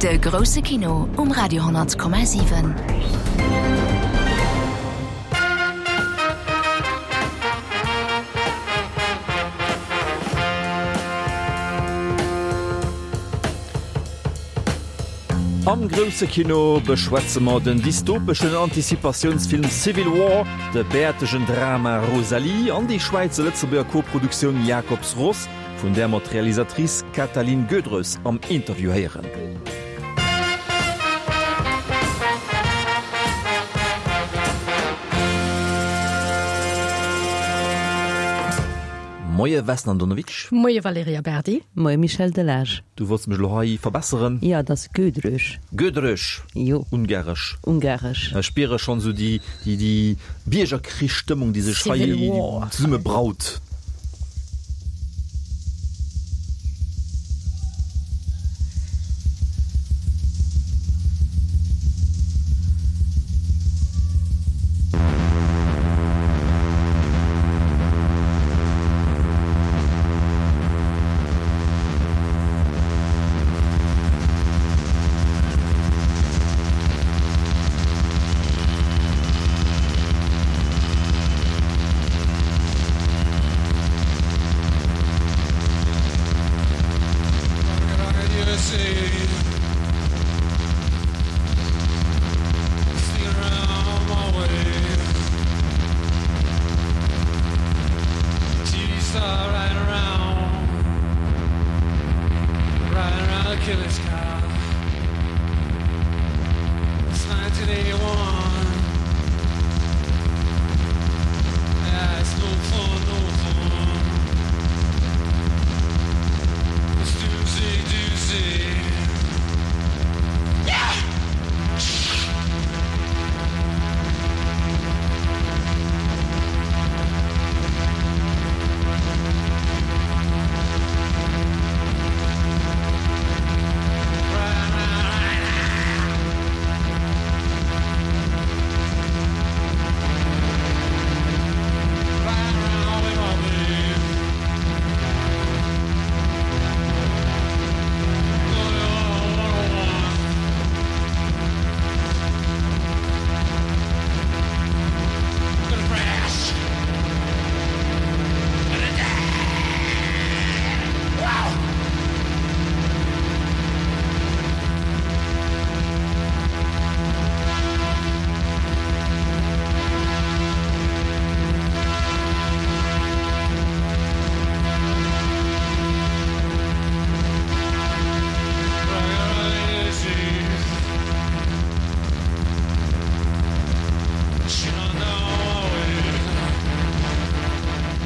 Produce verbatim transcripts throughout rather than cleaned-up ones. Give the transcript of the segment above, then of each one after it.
De grousse Kino um Radio honnert Komma siwen. Am grousse Kino beschwätze mer den dystopeschen Antizipatiounsfilm Civil War, de bäertegen Drama Rosalie an déi Schwäizer-Lëtzebuerger Koproduktioun Jakobs Ross, vun där mer d'Realisatrice Katalin Gödrös am Interview héieren. Moie Vesna Andonovic. Moie Valerija Berdi. Moie Michel Delage. Du wollts mech elo hei verbesseren. Jo, et ass Gödrös. Gödrös. Jo. Ungaresch. Ungaresch. Ech spiere schonn esou déi, déi, déi Biergerkrichsstëmmung, déi sech hei zesumme braut.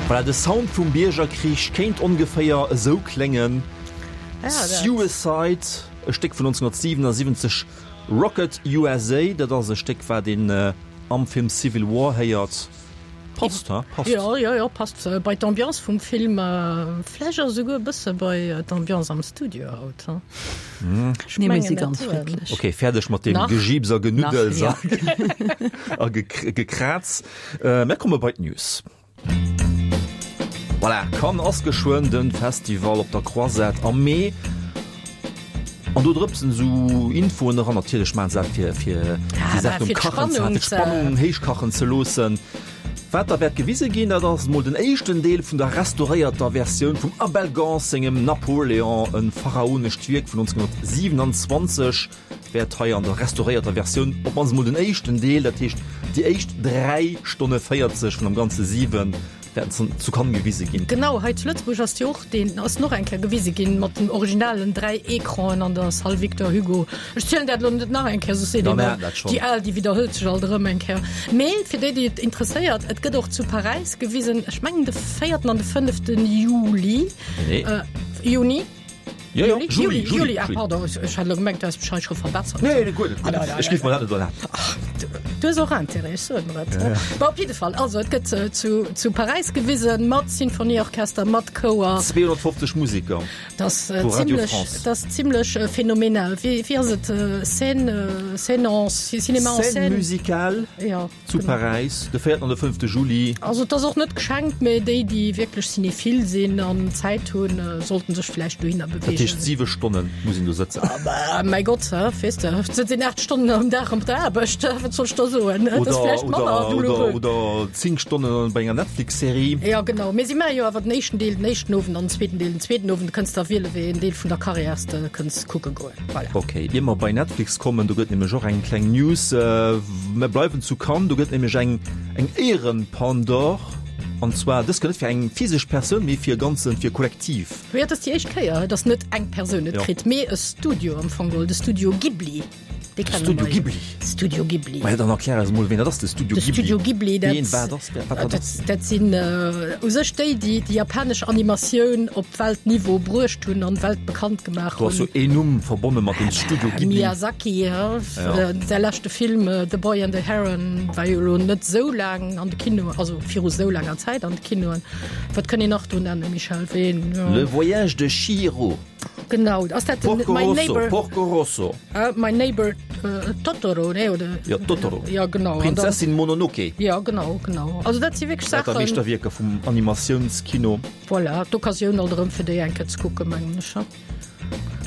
Voilà, de Sound vum Biergerkrich kéint ongeféier esou kléngen. Suicide, e Stéck vun nonzénhunnertsiwenasiwwenzeg, Rocket USA, dat ass e Stéck wat een am Film Civil War héiert. Passt, ha? Passt. Jo, jo, jo, passt bei d'Ambiance vum Film, vläicht och esouguer e bësse bei d'Ambiance am Studio haut, ha? Ech Nee, mir si ganz friddlech. Ok, fäerdeg mat deem Gejiips a Genuddels a Gekraaz. Mir komme bei d'News. Voilà, Cannes ass geschwënn den Festival op der Croisette am Mee. An do drëpsen esou Infoen eran. Natierlech maachen se dat fir fir déi Saach um Kachen ze fir d'Spannung héichkachen ze loossen. Wat da wäert gewise ginn, dat ass emol den éischten Deel vun der restauréierter Versioun vum Abel Gance sengem Napoléon, e pharaonescht Wierk vun nonzénhunnertsiwenanzwanzeg. Wäert hei an der restauréierter Versioun op mannst emol den éischten Deel, dat heescht déi éischt dräi Stonne véierzeg vun am Ganze siwen, wäerten zu Cannes gewise ginn. Genau, hei zu Lëtzebuerg ass jo och deen, ass en och eng Kéier gewise ginn mat den originalen dräi Ecranen an der Salle Victor Hugo. Ech zielen dat elo net nach eng Kéier, soss seet een, déi al, déi widderhëlt sech alt erëm eng Kéier. Mee fir déi, déi et interesséiert, et gëtt och zu Paräis gewisen, ech mengen de véierten an de fënneften Juli, Juni. Jo, jo, Juli, Juli, Juli, ah, pardon, ech hat elo gemengt, du häss mech hei scho verbessert. Nee, nee, guer net, guer net. Ech géif mer dat net erlaben. Du hues och Intérêt, ech soen der et. Bon, op jidde Fall, also et gëtt zu, zu Paräis gewisen, mat Sinfonieorchester, mat Chouer. zweehonnertfofzeg Museker Dat ass vu Radio zimlech, France. dat ass zimlech phänomenal. Wéi, wéi ass et? Scène, scène en, Cinéma en Scène scène? musicale Ja, zu genau. Paräis, de véierten an de fënnfte Juli. Also et ass och net geschenkt, mä déi, déi wierklech cinéphile sinn an Zäit hunn, sollten sech vläicht dohinner Dat heescht beweegen. siwe Stonne muss een do sëtzen. Bah, mäi Gott, weess de, et sëtzt een aacht Stonnen am Dag op der Aarbecht, wat soll ech da soen? Et ass vläicht manner douloureux. Oder zéng Stonnen bei enger Netflix-Serie. Jo, genau. Mee si maache jo awer den éischten Deel den éischten Owend an den zweeten Deel den zweeten Owend. Du kënns da wiele wéi een Deel vun der Karriär s de kënns kucke goen. Voilà. Ok, ier mer bei Netflix kommen, do gëtt nämlech och eng kleng News. Mer bleiwen zu Cannes, do gëtt nämlech eng eng Éieren-Palme d'Or, an zwar dës Kéier net fir eng physesch Persoun, mee fir e ganzen, fir e Kollektiv. Jo, et ass déi éischt Kéier, dass net eng Persoun et kritt, mee e Studio am Fong geholl, de Studio Ghibli. Dee kenne Studio mer jo. Ghibli? Studio Ghibli. Maja, dann erklär eis emol, ween dat ass, de Studio De Ghibli. Studio Ghibli, dat, Ween wat ass, wat dat dat, ass. dat sinn u sech déi, déi déi japanesch Animatioun op Weltniveau bruecht hunn an weltbekannt gemaach Do ass hunn. jo een Numm verbonne mat dem Studio Ghibli. Miyazaki, ja. Ja. Säi leschte Film The Boy and the Heron war jo elo net esou laang an de Kinoen, also viru esou laanger Zäit an de Kinoen. Wat kënnt een nach do nennen, Michèle? Ween, ja. Le Voyage de Chihiro. Genau, ass dat den Porco My Rosso, Neighbor, Porco Rosso. Uh, My Neighbor uh, Totoro, nee, oder? Ja, Totoro. Ja, genau. An dann, Prinzessin Mononoke. ja, genau, genau. Also dat si wierklech Dat Saachen. Meeschterwierker vum Animatiounskino. Voilà, d'Occasioun alt erëm fir déi eng Kéier ze kucken, mengen ech.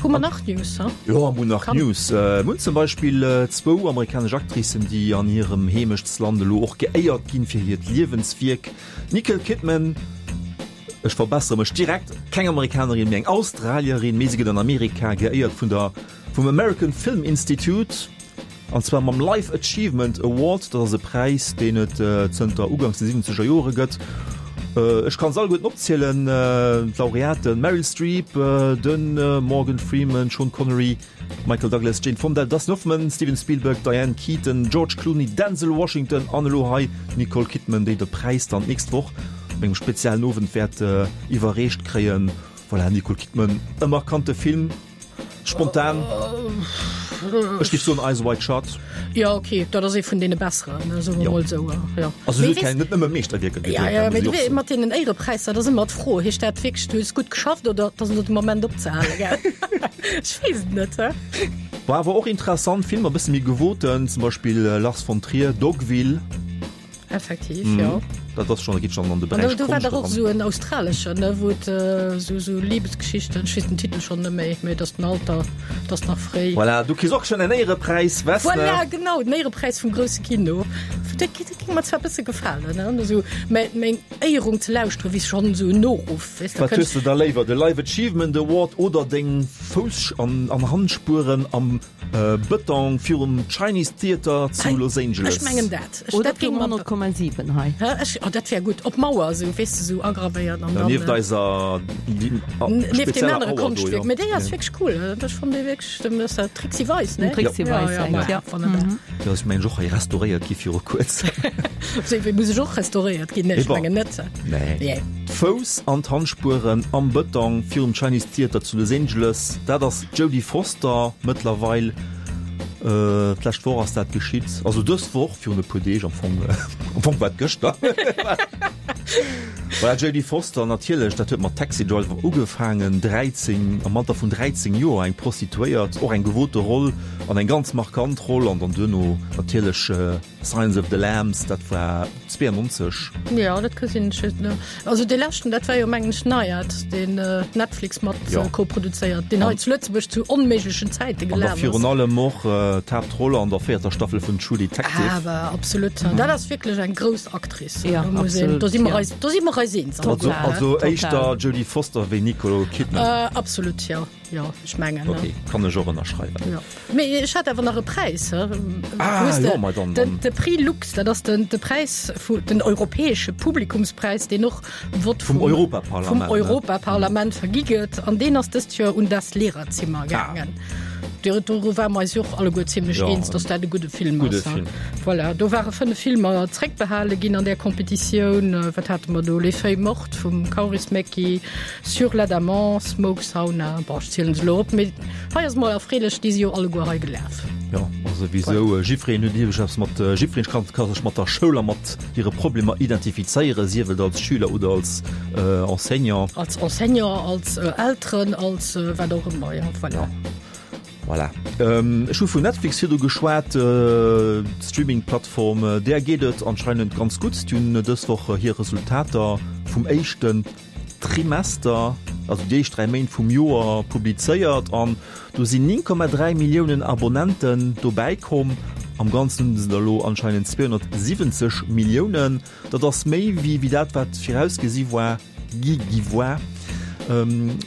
Hu mer nach News, ha? Jo, mer hunn nach Kann. News. Mer hunn zum Beispill zwou amerikanesch Actricen, déi an hirem Heemechtsland elo och geéiert ginn fir hiert Liewenswierk. D'Nicole Kidman, ech verbessere mech direkt, keng Amerikanerin, mee eng Australierin, mee si gëtt an Amerika geéiert vun der, vum American Film Institute, an zwar mam Life Achievement Award. Dat ass e Präis, deen et zënter uganks de siwwenzeger Jore gëtt. Ech kann se alleguerten opzielen, d'Laureaten, Meryl Streep, de Morgan Freeman, Sean Connery, Michael Douglas, Jane Fonda, Dustin Hoffman, Steven Spielberg, Diane Keaton, George Clooney, Denzel Washington an elo hei d'Nicole Kidman, déi de Präis dann d'nächst Woch op engem speziellen Owend wäert iwwerreecht kréien. Voilà, Nicole Kidman, e markante Film. Spontan, ech géif soen Eyes Wide Shut. Jo, ok, dat ass ee vun deene besseren, soe mer mol esou. Jo. Also se huet keng, net nëmme Meeschterwierker Ja, gedréit, ja, dat mee muss du ech och wee, soen. mat deenen Éierepräisser, dat ass ëmmer d'Fro, heescht dat wierklech, du hues gutt geschafft oder et ass elo de Moment opzehalen, gell? Ech weess et net, he. War awer och interessant, Filmer, e bësse méi gewoten, zum Beispill Lars von Trier, Dogville. Effektiv, jo. Dat ass schon, geet schon an de An Beräich do war Konscht dach och eran. esou en australeschen, ne, wou et esou, esou Liebesgeschichten, ech weess den Titel schonn net méi, mee et ass den Alter, et ass nach fréi. Voilà, du kriss och schon en Éierepräis, wess ne? Voilà, genau, den Éierepräis vum grousse Kino. Dat géing mer zwar e bësse gefalen, ne, esou mä meng Éierung ze lauschteren, wéi schonn esou en Noruff, weess de, Wat hues de da léiwer, de Life Achievement Award oder deng Fouss an Handspueren am Bëtong virum Chinese Theater zu Los Angeles? Ech mengen dat. Ech, Oder dat géing fir mer. honnert Komma siwen hei. Hä? Ech, oh, dat wär gutt. Op d'Mauer esou, weess de, esou agravéiert an Ja, dann. nieft eiser Nieft deem spezieller anere Auer do, jo. Konschtwierk. Mee déi ass wierklech cool. Ech fannen déi wierklech, dem ass dat Trixi Weis, ne? Den Trixi Ja, Weis, ja, eng, ma, ja. wonnerbar. Déi ass, mengen ech, och hei restauréiert gi viru kuerzem. Sou, wéi muss ech och restauréiert ginn? Nee, ech Ewer. mengen net. Nee. Nee. D'Fouss an d'Handspueren am Bëtong virum Chinese Theater zu Los Angeles, dat ass d'Jodie Foster mëttlerweil. D'lescht Woch ass dat geschitt, also dës Woch virun e puer Deeg am Fong, am Fong war et gëschter. Voilà, Jodie Foster natierlech, dat huet mat Taxi Driver ugefaangen, dräizéng, am Alter vun dräizéng Joer eng Prostituéiert, och eng gewote Roll an eng ganz markant Roll an dann duerno natierlech Silence of the Lambs, dat war zweeënnonzeg. Jo, dat gesinn ech just net. Also dee leschten, dat war jo mengen ech Nyad, deen Netflix mat Jo. koproduzéiert, deen hei zu Lëtzebuerg zu onméiglechen Zäite An da gelaf ass. virun allem och d'Haaptroll an der véierter Staffel vun True Detective. Awer absolut, dat ass wierklech eng grouss Actrice. Ja, Do muss een, absolut, do si mer ja. eis, do si mer eis eens. Also, Total, also total. éischter Jodie Foster wéi Nicole Kidman. Äh, absolut, jo. Jo, ech mengen. Ok, kann ech och ënnerschreiwen. Jo. Mee ech hat awer nach e Präis. Ah, Hues de, jo, ma dann, den, dann. de Prix Lux, dat ass den, de Präis vu, den europäesche Publikumspräis, deen och Vott Vum vum, Europaparlament, vum ne? Europaparlament vergi gëtt. An deen ass dëst Joer un Das Lehrerzimmer Ah. gaangen. Do, do ware mer eis jo och alleguer zimlech Ja, eens, dass dat e gudde Film gudde ass. Film. Voilà, do ware fënnef Filmer zréckbehale ginn an där Competitioun. Wat hate mer do? Les Feuilles mortes vum Kaurismäki, Sur l'Adamant, Smoke Sauna, bon, ech zielen se elo op, mee hei ass mol erfreelech, déi si jo alleguer hei gelaf. Jo, also wisou jiddwereen huet iergendwas mat, jiddwereen kann ka sech mat der Schoul a mat hire Problemer identifizéieren, sief et als Schüler oder als Enseignant. Als Enseignant, als Elteren, als wat och ëmmer, jo, voilà. Ja. Voilà. Ech hu vun Netflix virdu geschwat, d'Streaming-Plattform, där geet et anscheinend ganz gutt. Déi hunn dës Woch hir Resultater vum éischten Trimester, also déi éischt dräi Méint vum Joer, publizéiert an do sinn néng Komma dräi Milliounen Abonnenten dobäi komm. Am Ganzen hunn se der elo anscheinend zweehonnertsiwwenzeg Milliounen. Dat ass méi wéi wéi dat, wat virausgesi war, gi gi war.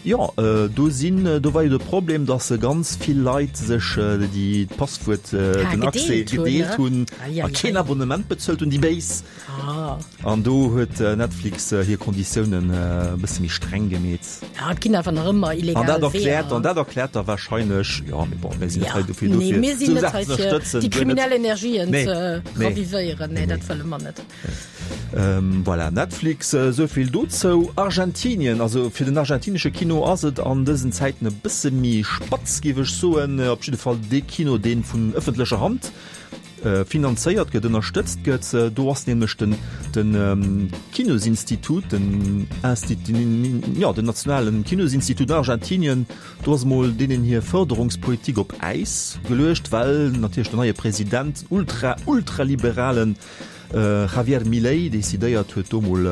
Jo, do sinn, do war jo de Problem, datt ganz vill Leit sech déi d'Passwuert, den Accès gedeelt hunn a keen Abonnement bezuelt hunn, déi Béis. An do huet Netflix hir Konditiounen e bësse méi streng gemeet. Ja, et ginn awer nach ëmmer illegal An dat erkläert, an dat erkläert da warscheinlech, jo, mee bon, mir sinn net hei dofir, dofir, nee, mir sinn net hei fir déi kriminell Energien ze ravivéieren. Nee, dat wëlle mer net. Voilà, Netflix, esou vill dozou. Argentinien, also fir den argentinesche Kino ass et an dësen Zäiten e bësse méi spatz, géif ech soen. Op jidde Fall dee Kino, dee vun ëffentlecher Hand finanzéiert gëtt, ënnerstëtzt gëtt. Do ass nämlech den den Kinosinstitut, den Insti-, jo, den nationalen Kinosinstitut an Argentinien, do ass emol deenen hir Fërderungspolitik op Äis geluecht, well natierlech den neie President, den ultra-, ultraliberalen Javier Milei decidéiert huet do mol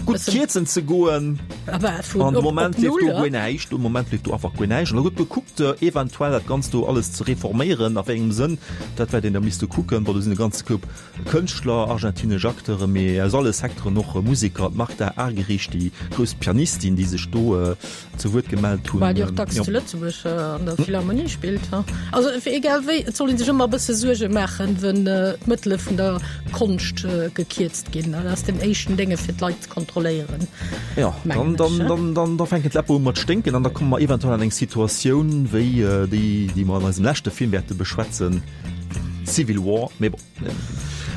gutt kierzen ze goen. An de Moment leeft do guer näischt. De Moment leeft do einfach guer näischt. An da gëtt gekuckt eventuell dat Ganzt do alles ze reforméieren. A wéi engem Sënn, dat wäert een da misste kucken. Bon, do sinn e ganze Koup Kënschtler, argentinesch Acteuren, mee aus alle Secteuren, och Museker, d'Martha Argerich, déi grouss Pianistin, déi sech do zu Wuert gemellt hunn. Well déi och dacks zu Lëtzebuerg an der Philharmonie spillt. Also egal wéi, et soll ee sech ëmmer e bësse Suerge maachen, wenn d'Mëttele vun der Konscht gekierzt ginn. Dat ass den éischten Dénge fir d'Leit ze kontrolléieren. Jo, dann, dann, dann, dann, da fänken d'Läpper u mat sténken an da komme mer eventuell an eng Situatioun wéi déi, déi mer an eisem leschte Film wäerte beschwätzen, Civil War. Mee bon.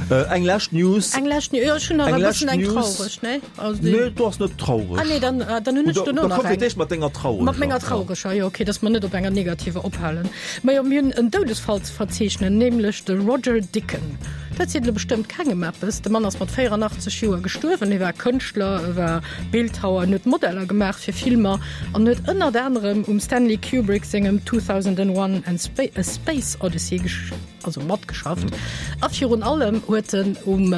Eng lescht News. Eng lescht News, jo, ech hunn nach e bëssen eng traureg, ne? Also déi. Nee, du ass net traureg. Ah nee, dann, dann hunn ech duerno nach eng. Da komm fir d'éischt mat denger traureger. Mat menger traureger, jo, okay, dass mer net op enger negativer ophalen. Majo, mir hunn en Doudesfall ze verzeechnen, nämlech de Roger Dicken. Dat seet elo bestëmmt kengem eppes. De Mann ass mat véieranachtzeg Joer gestuerwen. Hie war Kënschtler, e war Bildhauer, en huet Modeller gemaach fir Filmer an huet ënnert anerem um Stanley Kubrick sengem zweedausendaneent, A Space Odyssey also matgeschafft. A virun allem huet en um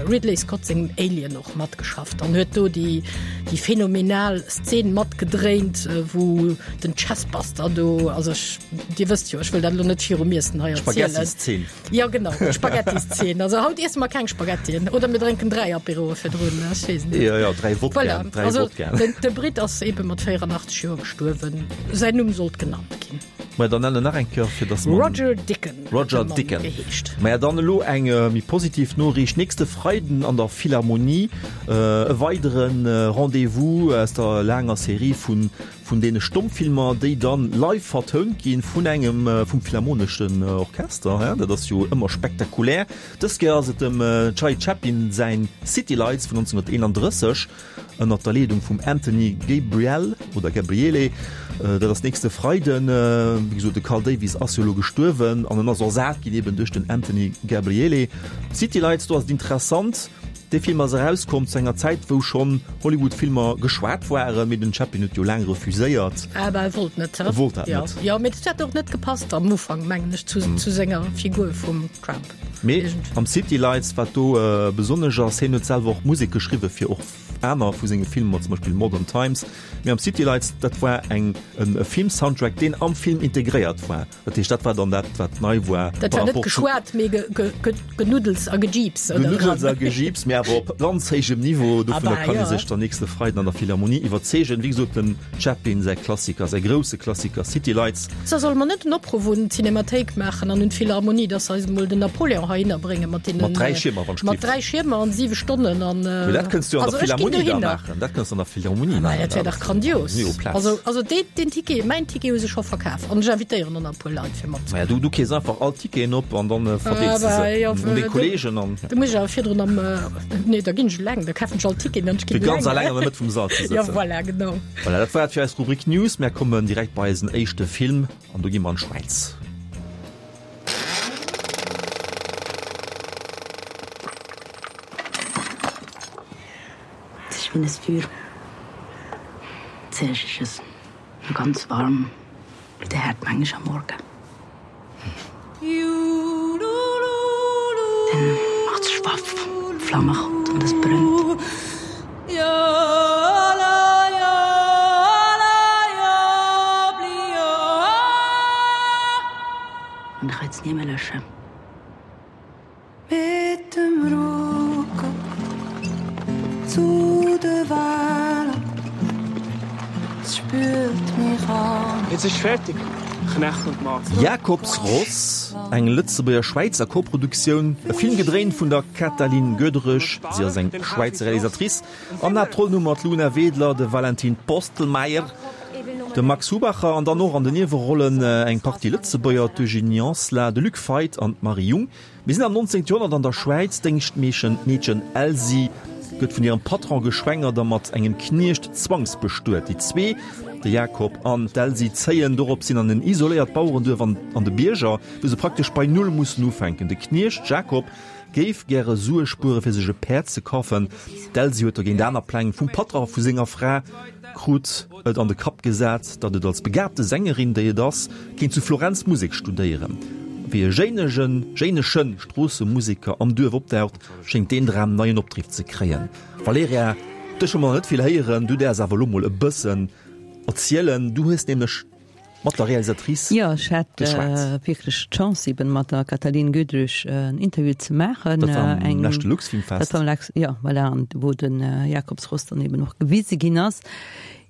Ridley Scott sengem Alien och matgeschafft an huet do déi déi phänomenal Szen matgedréint, wou den Chestbuster do, also ech, Dir wësst jo, ech wëll dat elo net virum Iessen hei erzielen. Spaghettiszeen. Jo genau, d'Spaghettiszeen. Also haut iesse mer keng Spaghettien oder mir drénken dräi Apéroe virdrun, ech weess net. Jo, jo, dräi Wodkaen, Voilà, dräi also Wodkaen. den de Britt ass ebe mat véieranachteg Joer gestuerwen. Säin Numm sollt genannt ginn. Maja, dann nennen nach eng Kéier, fir dass mer. Roger Dicken huet Roger de Mann Dicken. geheescht. Maja, dann elo eng méi positiv Noriicht. Nächste Freiden an der Philharmonie e weidere Rendez-vous aus der laanger Serie vun vun deene Stommfilmer, déi dann live vertount ginn vun engem vum Philharmoneschen Orchester. Hein, dat ass jo ëmmer spektakulär. Dës Kéier ass et dem Charlie Chaplin säin City Lights vun nonzénhunnerteenandrësseg. Ënnert der Leedung vum Anthony Gabriel oder Gabriele. Dat ass nächste Freiden. Wéi gesot, de Carl Davis ass jo elo gestuerwen an en ass ersat ginn eben duerch den Anthony Gabriele. City Lights, do ass et interessant, dee Film ass erauskomm zu enger Zäit, wou schonn Hollywood-Filmer geschwat waren, mee den Chaplin huet jo laang refuséiert. Ah bah, e wollt net, E wollt dat net. Jo, mee dat hätt och net gepasst am Ufank, mengen ech, zu senger Figur vum Tramp. Mee am City Lights, wat do besonnesch ass, hien huet selwer och Musek geschriwwen fir och aner vu senge Filmer, zum Beispill Modern Times, mee am City Lights, dat war eng e Film-Soundtrack, deen am Film integréiert war. Dat heescht, dat war dann dat, wat nei war. Dat war net geschwat, mee Genuddels a Gejiips, oder? Genuddels a Gejiips, mee awer op ganz héijem Niveau. Dovunner kann ee sech dann nächste Freiden an der Philharmonie iwwerzeegen. Wéi gesot, dem Chaplin säi Klassiker, säi grousse Klassiker City Lights. So, solle mer net en Opruff un d'Cinémathéik maachen an un d'Philharmonie, dass se eis emol den Napoléon heihinner bréngen mat deenen. Mat dräi Schiermer, wann ech Mat dräi Schiermer an siwe Stonnen an. Mee dat kënns du jo an der Philharmonie da maachen. Dat kënns du an der Philharmonie maachen. Dat wär dach grandios. Also, also dee, deen Ticket, mäin Ticket hu se scho verkaf an ech invitéieren och nach e puer Leit fir mat. Maja, du, du kees einfach all d'Ticketen op an dann verdeels de se un deng Kollegen an. Da muss ech awer virdrun am, nee, da ginn ech eleng, da kafen ech all d'Ticketen an ech ginn eleng. Fir ganz eleng an der Mëtt vum Sall ze sëtzen. Jo, voilà, genau. Voilà, dat war et fir eis Rubrik News. Mär kommen direkt bei eisen éischte Film an do gi mer an d'Schwäiz. Wie ein Feuer. Zuerst ist es noch ganz warm, wie der Herd manchmal am Morgen. Dann macht es schwaff, die Flamme kommt und es brennt. Und ich kann es nie mehr löschen. Mit dem Rücken zu der Welle. Es spürt mich an. Jetzt ist fertig. Knecht und Magd. Jakobs Ross, eng Lëtzebuerger-Schwäizer Koproduktioun, e Film gedréint vun der Katalin Gödrösch, si ass eng Schwäizer Realisatrice, an Haaptrollen hu mer d'Luna Wedler, de Valentin Postlmayr, de Max Hubacher an dann och an den Niewerollen eng Partie Lëtzebuerger, d'Eugénie Anselin, de Luc Feit an d'Marie Jung. Mir sinn am nonzéngte Joerhonnert an der Schwäiz, D'Déngschtmeechen, d'Meedchen Elsi gëtt vun hirem Patron geschwängert a mat engem Kniecht zwangsbestuet. Déi zwee, de Jakob an d'Elsi, zéien doropshin an en isoléiert Bauerenduerf an an de Bierger, wou se praktesch bei Null mussen ufänken. De Kniecht Jakob géif gäre Sue spuere fir sech e Päerd ze kafen. D'Elsi huet dogéint aner Pläng. Vum Patron vu senger Fra krut et an de Kapp gesat, datt et als begabte Sängerin, déi et ass, kéint zu Florenz Musek studéieren. Wéi e jéinegen, jéinesche Stroossemuseker am Duerf opdaucht, schéngt deen Dram neien Opdriff ze kréien. Valerija, dech hu mer nach net vill héieren, du däerfs awer elo mol e bëssen erzielen. Du hues nämlech mat der Realisatrice Jo, ech hat geschwat. wierklech d'Chance eben mat der Katalin Gödrich en Interview ze maachen. Dat war am Eng, leschte Luxfilmfest. dat war am Lex, jo, voilà, an wou den Jakobsross dann eben och gewise ginn ass.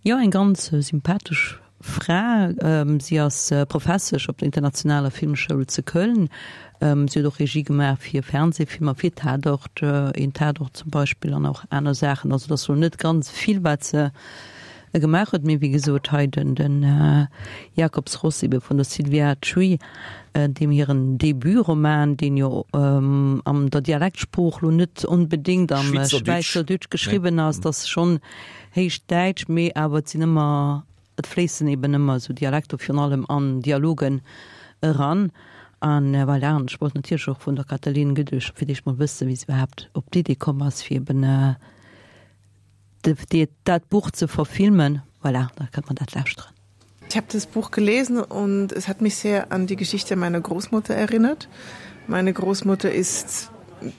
Jo, eng ganz sympathesch Fra. Si ass Professesch op der Internationaler Filmschoul ze Köln. Si huet och Regie gemaach fir Fernsehfilmer, fir Tatort, een Tatort zum Beispill an och aner Saachen. Also et ass lo net ganz vill, wat se gemaach huet, mee wéi gesot hei den den Jakobsross ebe vun der Sylvia Tschuy, deem hiren Debutroman, deen jo an der Dialektsprooch lo net onbedéngt am Schweizerdeutsch geschriwwen ass, dat ass schonn héich Däitsch, mee awer et sinn ëmmer, et fléissen eben ëmmer esou Dialekter virun allem an Dialogen eran. An voilà, an ech wollt natierlech och vun der Katalin Gödösch fir d'éischt mol wëssen, wéi se iwwerhaapt op d'Idee komm ass, fir eben dat Buch ze verfilmen. Voilà, da kënnt mer dat lauschteren. Ich habe das Buch gelesen und es hat mich sehr an die Geschichte meiner Großmutter erinnert. Meine Großmutter ist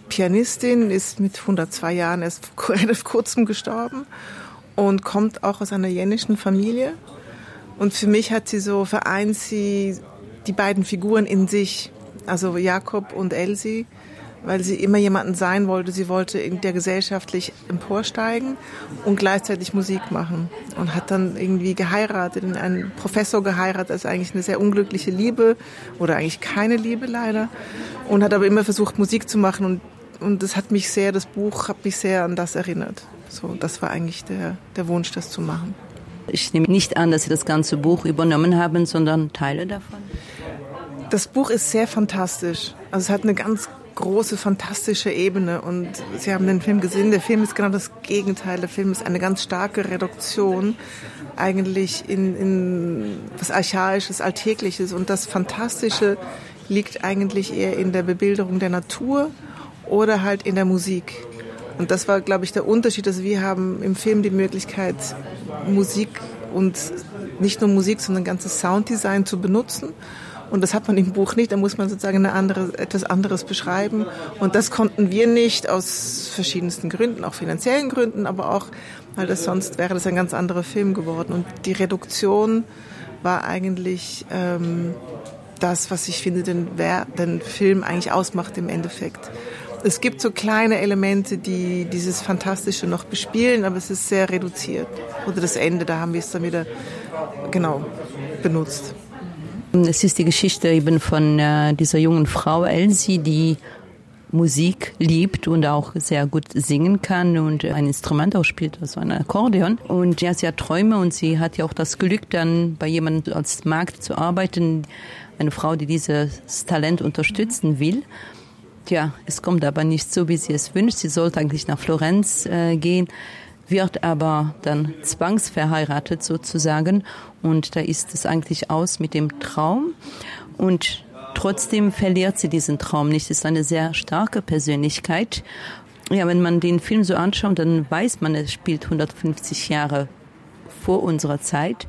Pianistin, ist mit hundertzwei Jahren erst relativ kurzem gestorben und kommt auch aus einer jänischen Familie. Und für mich hat sie so vereint sie die beiden Figuren in sich, also Jakob und Elsie, weil sie immer jemanden sein wollte. Sie wollte in der gesellschaftlich emporsteigen und gleichzeitig Musik machen und hat dann irgendwie geheiratet, in einen Professor geheiratet, das ist eigentlich eine sehr unglückliche Liebe oder eigentlich keine Liebe leider und hat aber immer versucht, Musik zu machen und, und das hat mich sehr, das Buch hat mich sehr an das erinnert. So, das war eigentlich der, der Wunsch, das zu machen. Ich nehme nicht an, dass Sie das ganze Buch übernommen haben, sondern Teile davon. Das Buch ist sehr fantastisch. Also es hat eine ganz große fantastische Ebene und Sie haben den Film gesehen. Der Film ist genau das Gegenteil. Der Film ist eine ganz starke Reduktion eigentlich in, in was Archaisches, Alltägliches und das Fantastische liegt eigentlich eher in der Bebilderung der Natur oder halt in der Musik. Und das war, glaube ich, der Unterschied, dass wir haben im Film die Möglichkeit, Musik und nicht nur Musik, sondern ganzes Sounddesign zu benutzen. Und das hat man im Buch nicht, da muss man sozusagen eine andere, etwas anderes beschreiben. Und das konnten wir nicht aus verschiedensten Gründen, auch finanziellen Gründen, aber auch, weil das sonst wäre das ein ganz anderer Film geworden. Und die Reduktion war eigentlich ähm, das, was ich finde, den, den Film eigentlich ausmacht im Endeffekt. Es gibt so kleine Elemente, die dieses Fantastische noch bespielen, aber es ist sehr reduziert. Oder das Ende, da haben wir es dann wieder genau benutzt. Es ist die Geschichte eben von äh, dieser jungen Frau Elsie, die Musik liebt und auch sehr gut singen kann und ein Instrument auch spielt, also ein Akkordeon. Und ja, sie hat Träume und sie hat ja auch das Glück, dann bei jemandem als Magd zu arbeiten, eine Frau, die dieses Talent unterstützen will. Tja, es kommt aber nicht so, wie sie es wünscht. Sie sollte eigentlich nach Florenz äh, gehen, wird aber dann zwangsverheiratet sozusagen und da ist es eigentlich aus mit dem Traum und trotzdem verliert sie diesen Traum nicht. Sie ist eine sehr starke Persönlichkeit Ja, wenn man den Film so anschaut, dann weiß man, es spielt hundertfünfzig Jahre vor unserer Zeit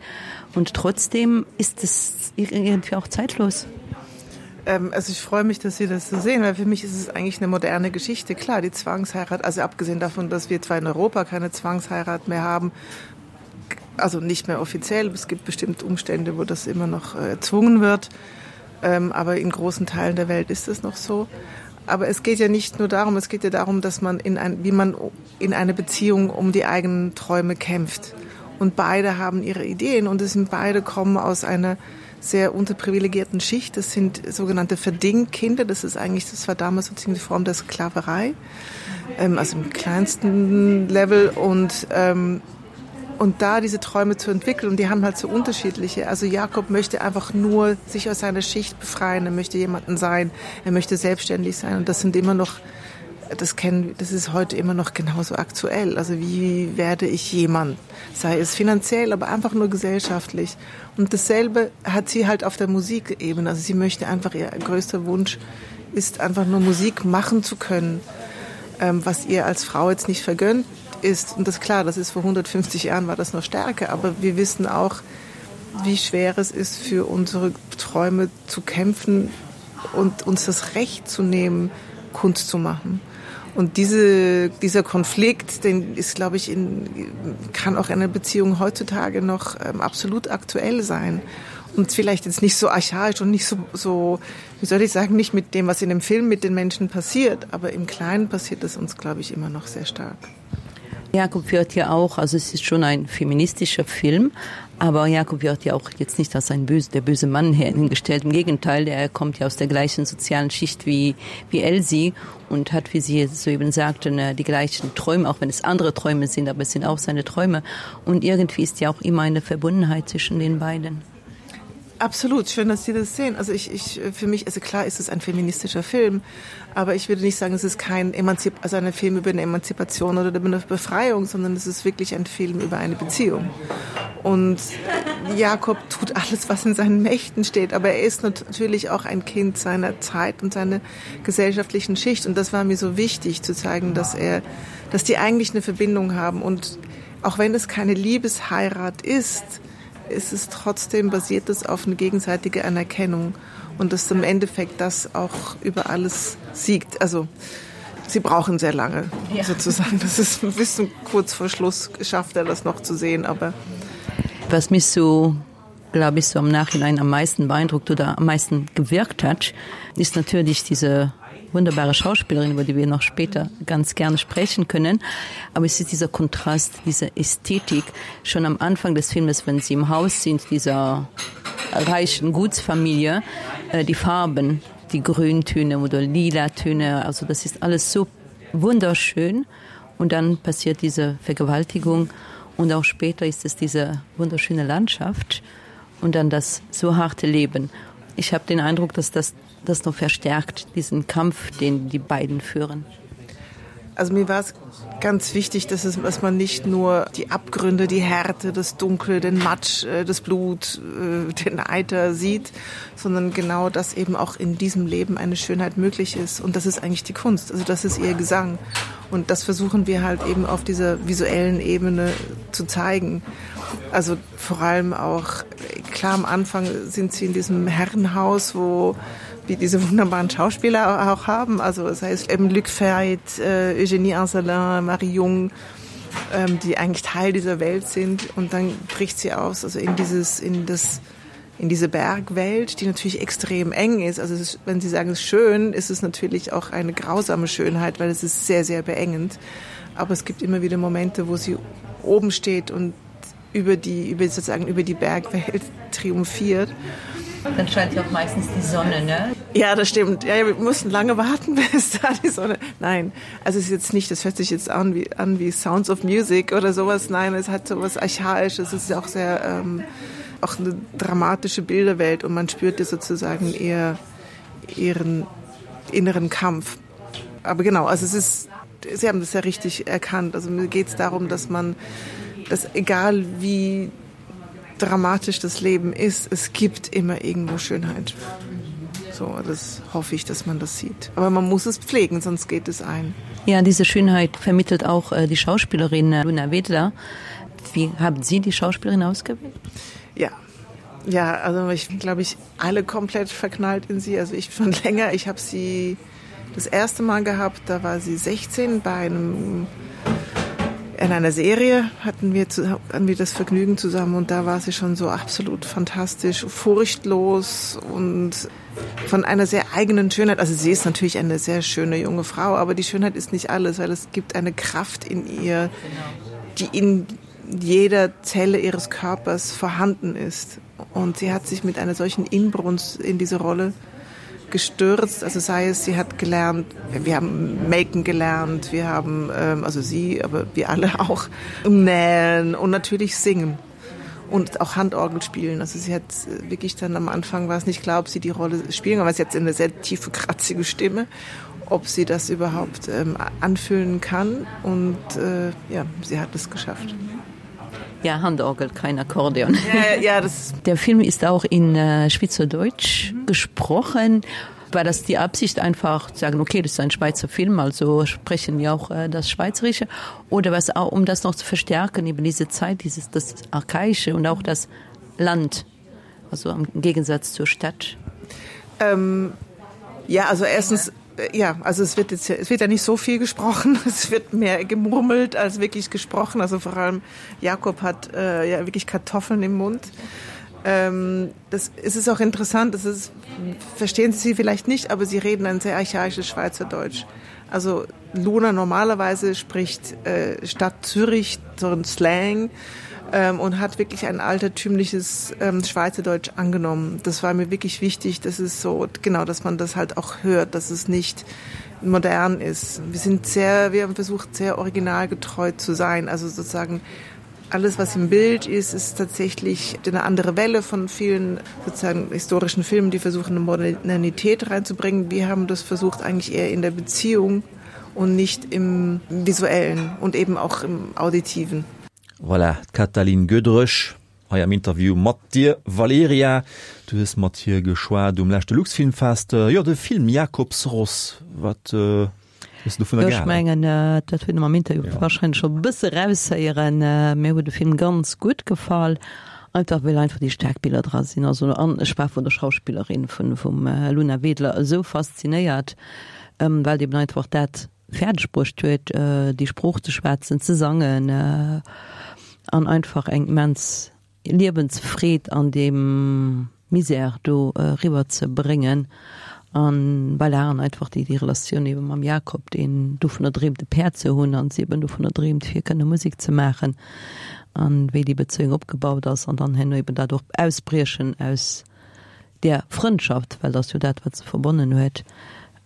und trotzdem ist es irgendwie auch zeitlos. Ähm, also ich freue mich, dass Sie das so sehen, weil für mich ist es eigentlich eine moderne Geschichte. Klar, die Zwangsheirat, also abgesehen davon, dass wir zwar in Europa keine Zwangsheirat mehr haben, also nicht mehr offiziell, es gibt bestimmt Umstände, wo das immer noch äh, erzwungen wird, ähm, aber in großen Teilen der Welt ist es noch so. Aber es geht ja nicht nur darum, es geht ja darum, dass man in ein, wie man in eine Beziehung um die eigenen Träume kämpft. Und beide haben ihre Ideen und es sind beide kommen aus einer sehr unterprivilegierten Schicht. Das sind sogenannte Verdingkinder. Das ist eigentlich, das war damals sozusagen die Form der Sklaverei, ähm, also im kleinsten Level. Und, ähm, und da diese Träume zu entwickeln, und die haben halt so unterschiedliche. Also Jakob möchte einfach nur sich aus seiner Schicht befreien, er möchte jemanden sein, er möchte selbstständig sein. Und das sind immer noch, das kennen, das ist heute immer noch genauso aktuell. Also wie werde ich jemand? Sei es finanziell, aber einfach nur gesellschaftlich. Und dasselbe hat sie halt auf der Musikebene. Also sie möchte einfach, ihr größter Wunsch ist einfach nur Musik machen zu können, ähm, was ihr als Frau jetzt nicht vergönnt ist. Und das ist klar, das ist vor hundertfünfzig Jahren war das noch stärker, aber wir wissen auch, wie schwer es ist, für unsere Träume zu kämpfen und uns das Recht zu nehmen, Kunst zu machen. Und diese, dieser Konflikt, den ist, glaube ich, in, kann auch in einer Beziehung heutzutage noch, ähm, absolut aktuell sein. Und vielleicht jetzt nicht so archaisch und nicht so, so, wie soll ich sagen, nicht mit dem, was in dem Film mit den Menschen passiert, aber im Kleinen passiert es uns, glaube ich, immer noch sehr stark. Jakob wird ja auch, also es ist schon ein feministischer Film, aber Jakob wird ja auch jetzt nicht als ein böse, der böse Mann hingestellt. Im Gegenteil, er kommt ja aus der gleichen sozialen Schicht wie, wie Elsie und hat, wie sie soeben sagte, ne, die gleichen Träume, auch wenn es andere Träume sind, aber es sind auch seine Träume. Und irgendwie ist ja auch immer eine Verbundenheit zwischen den beiden. Absolut, schön, dass Sie das sehen. Also ich, ich, für mich, also klar ist es ein feministischer Film, aber ich würde nicht sagen, es ist kein Emanzip-, also ein Film über eine Emanzipation oder über eine Befreiung, sondern es ist wirklich ein Film über eine Beziehung. Und Jakob tut alles, was in seinen Mächten steht, aber er ist natürlich auch ein Kind seiner Zeit und seiner gesellschaftlichen Schicht. Und das war mir so wichtig zu zeigen, dass er, dass die eigentlich eine Verbindung haben. Und auch wenn es keine Liebesheirat ist, ist es trotzdem basiert es auf eine gegenseitige Anerkennung und dass im Endeffekt das auch über alles siegt. Also sie brauchen sehr lange, ja. sozusagen. Das ist ein bisschen kurz vor Schluss, schafft er das noch zu sehen. Aber was mich so, glaube ich, so am Nachhinein am meisten beeindruckt oder am meisten gewirkt hat, ist natürlich diese wunderbare Schauspielerin, über die wir noch später ganz gerne sprechen können. Aber es ist dieser Kontrast, diese Ästhetik schon am Anfang des Filmes, wenn sie im Haus sind, dieser reichen Gutsfamilie, äh, die Farben, die Grüntöne oder Lilatöne, also das ist alles so wunderschön. Und dann passiert diese Vergewaltigung und auch später ist es diese wunderschöne Landschaft und dann das so harte Leben. Ich habe den Eindruck, dass das das noch verstärkt, diesen Kampf, den die beiden führen. Also mir war es ganz wichtig, dass es, dass man nicht nur die Abgründe, die Härte, das Dunkle, den Matsch, äh, das Blut, äh, den Eiter sieht, sondern genau, dass eben auch in diesem Leben eine Schönheit möglich ist. Und das ist eigentlich die Kunst, also das ist ihr Gesang. Und das versuchen wir halt eben auf dieser visuellen Ebene zu zeigen. Also vor allem auch, klar, am Anfang sind sie in diesem Herrenhaus, wo wir diese wunderbaren Schauspieler auch haben. Also das heißt eben Luc Feit, äh, Eugénie Anselin, Marie Jung, ähm, die eigentlich Teil dieser Welt sind. Und dann bricht sie aus, also in dieses, in das, in diese Bergwelt, die natürlich extrem eng ist. Also es ist, wenn Sie sagen, es ist schön, ist es natürlich auch eine grausame Schönheit, weil es ist sehr, sehr beengend. Aber es gibt immer wieder Momente, wo sie oben steht und über die, über sozusagen über die Bergwelt triumphiert. Dann scheint ja auch meistens die Sonne, ne? Ja, das stimmt. Ja, ja, wir mussten lange warten, bis da die Sonne... Nein, also es ist jetzt nicht, das hört sich jetzt an wie, an wie Sounds of Music oder sowas. Nein, es hat sowas Archaisches. Es ist auch sehr, ähm, auch eine dramatische Bilderwelt und man spürt ja sozusagen eher ihren inneren Kampf. Aber genau, also es ist, Sie haben das ja richtig erkannt. Also mir geht's darum, dass man, dass egal wie dramatisch das Leben ist, es gibt immer irgendwo Schönheit. So, das hoffe ich, dass man das sieht. Aber man muss es pflegen, sonst geht es ein. Ja, diese Schönheit vermittelt auch äh, die Schauspielerin äh, Luna Wedler. Wie haben Sie die Schauspielerin ausgewählt? Ja. Ja, also ich bin, glaube ich, alle komplett verknallt in sie. Also ich schon länger. Ich habe sie das erste Mal gehabt, da war sie sechzehn bei einem in einer Serie hatten wir, zu, hatten wir das Vergnügen zusammen und da war sie schon so absolut fantastisch, furchtlos und von einer sehr eigenen Schönheit. Also sie ist natürlich eine sehr schöne junge Frau, aber die Schönheit ist nicht alles, weil es gibt eine Kraft in ihr, die in jeder Zelle ihres Körpers vorhanden ist. Und sie hat sich mit einer solchen Inbrunst in diese Rolle gestürzt. Also sei es, sie hat gelernt, wir haben Maken gelernt, wir haben, ähm, also sie, aber wir alle auch, nähen und natürlich singen und auch Handorgel spielen. Also sie hat wirklich dann am Anfang war es nicht klar, ob sie die Rolle spielen, aber sie hat eine sehr tiefe, kratzige Stimme, ob sie das überhaupt ähm, anfühlen kann. Und äh, ja, sie hat es geschafft. Ja, Handorgel, kein Akkordeon. Ja, ja, das Der Film ist auch in äh, Schweizerdeutsch mhm. gesprochen. War das die Absicht einfach zu sagen, okay, das ist ein Schweizer Film, also sprechen wir auch äh, das Schweizerische oder was auch, um das noch zu verstärken, eben diese Zeit, dieses das Archaische und auch das Land, also im Gegensatz zur Stadt. Ähm, ja, also erstens ja, also es wird jetzt, es wird ja nicht so viel gesprochen. Es wird mehr gemurmelt als wirklich gesprochen. Also vor allem Jakob hat äh, ja wirklich Kartoffeln im Mund. Ähm, das es ist auch interessant, das ist, verstehen Sie sie vielleicht nicht, aber sie reden ein sehr archaisches Schweizerdeutsch. Also Luna normalerweise spricht äh, Stadt Zürich so ein Slang ähm, und hat wirklich ein altertümliches ähm, Schweizerdeutsch angenommen. Das war mir wirklich wichtig, dass es so genau, dass man das halt auch hört, dass es nicht modern ist. Wir sind sehr, wir haben versucht, sehr originalgetreu zu sein, also sozusagen alles, was im Bild ist, ist tatsächlich eine andere Welle von vielen sozusagen historischen Filmen, die versuchen, eine Modernität reinzubringen. Wir haben das versucht eigentlich eher in der Beziehung und nicht im visuellen und eben auch im auditiven. Voilà, d'Katalin Gödrösch hei am Interview mat dir, Valerija. Du hues mat hir geschwat um leschte Luxfilmfest. Jo, de Film Jakobsross, wat hues du dovunner Jo, ech gehalen? mengen, dat huet een am Interview wahrscheinlech scho e bësse eraushéieren. Mir huet de Film ganz gutt gefall, einfach well einfach déi staark Biller dra sinn. Also an ech war vun der Schauspillerin, vun vum Luna Wedler esou faszinéiert, well déi eben einfach dat fäerdeg bruecht huet, déi Sprooch ze schwätzen, ze sangen an einfach eng immens Liewensfreed an deem Misär do eriwwer ze bréngen. An voilà, an einfach déi, déi Relatioun ebe mam Jakob, deen dovunner dreemt, e Päerd ze hunn, an si eben dovunner dreemt, fir kënne Musek ze maachen, an wéi déi Bezéiung opgebaut ass an dann herno eben dat och Ausbriechen aus där Frëndschaft, well dat ass jo dat, wat se verbonnen huet.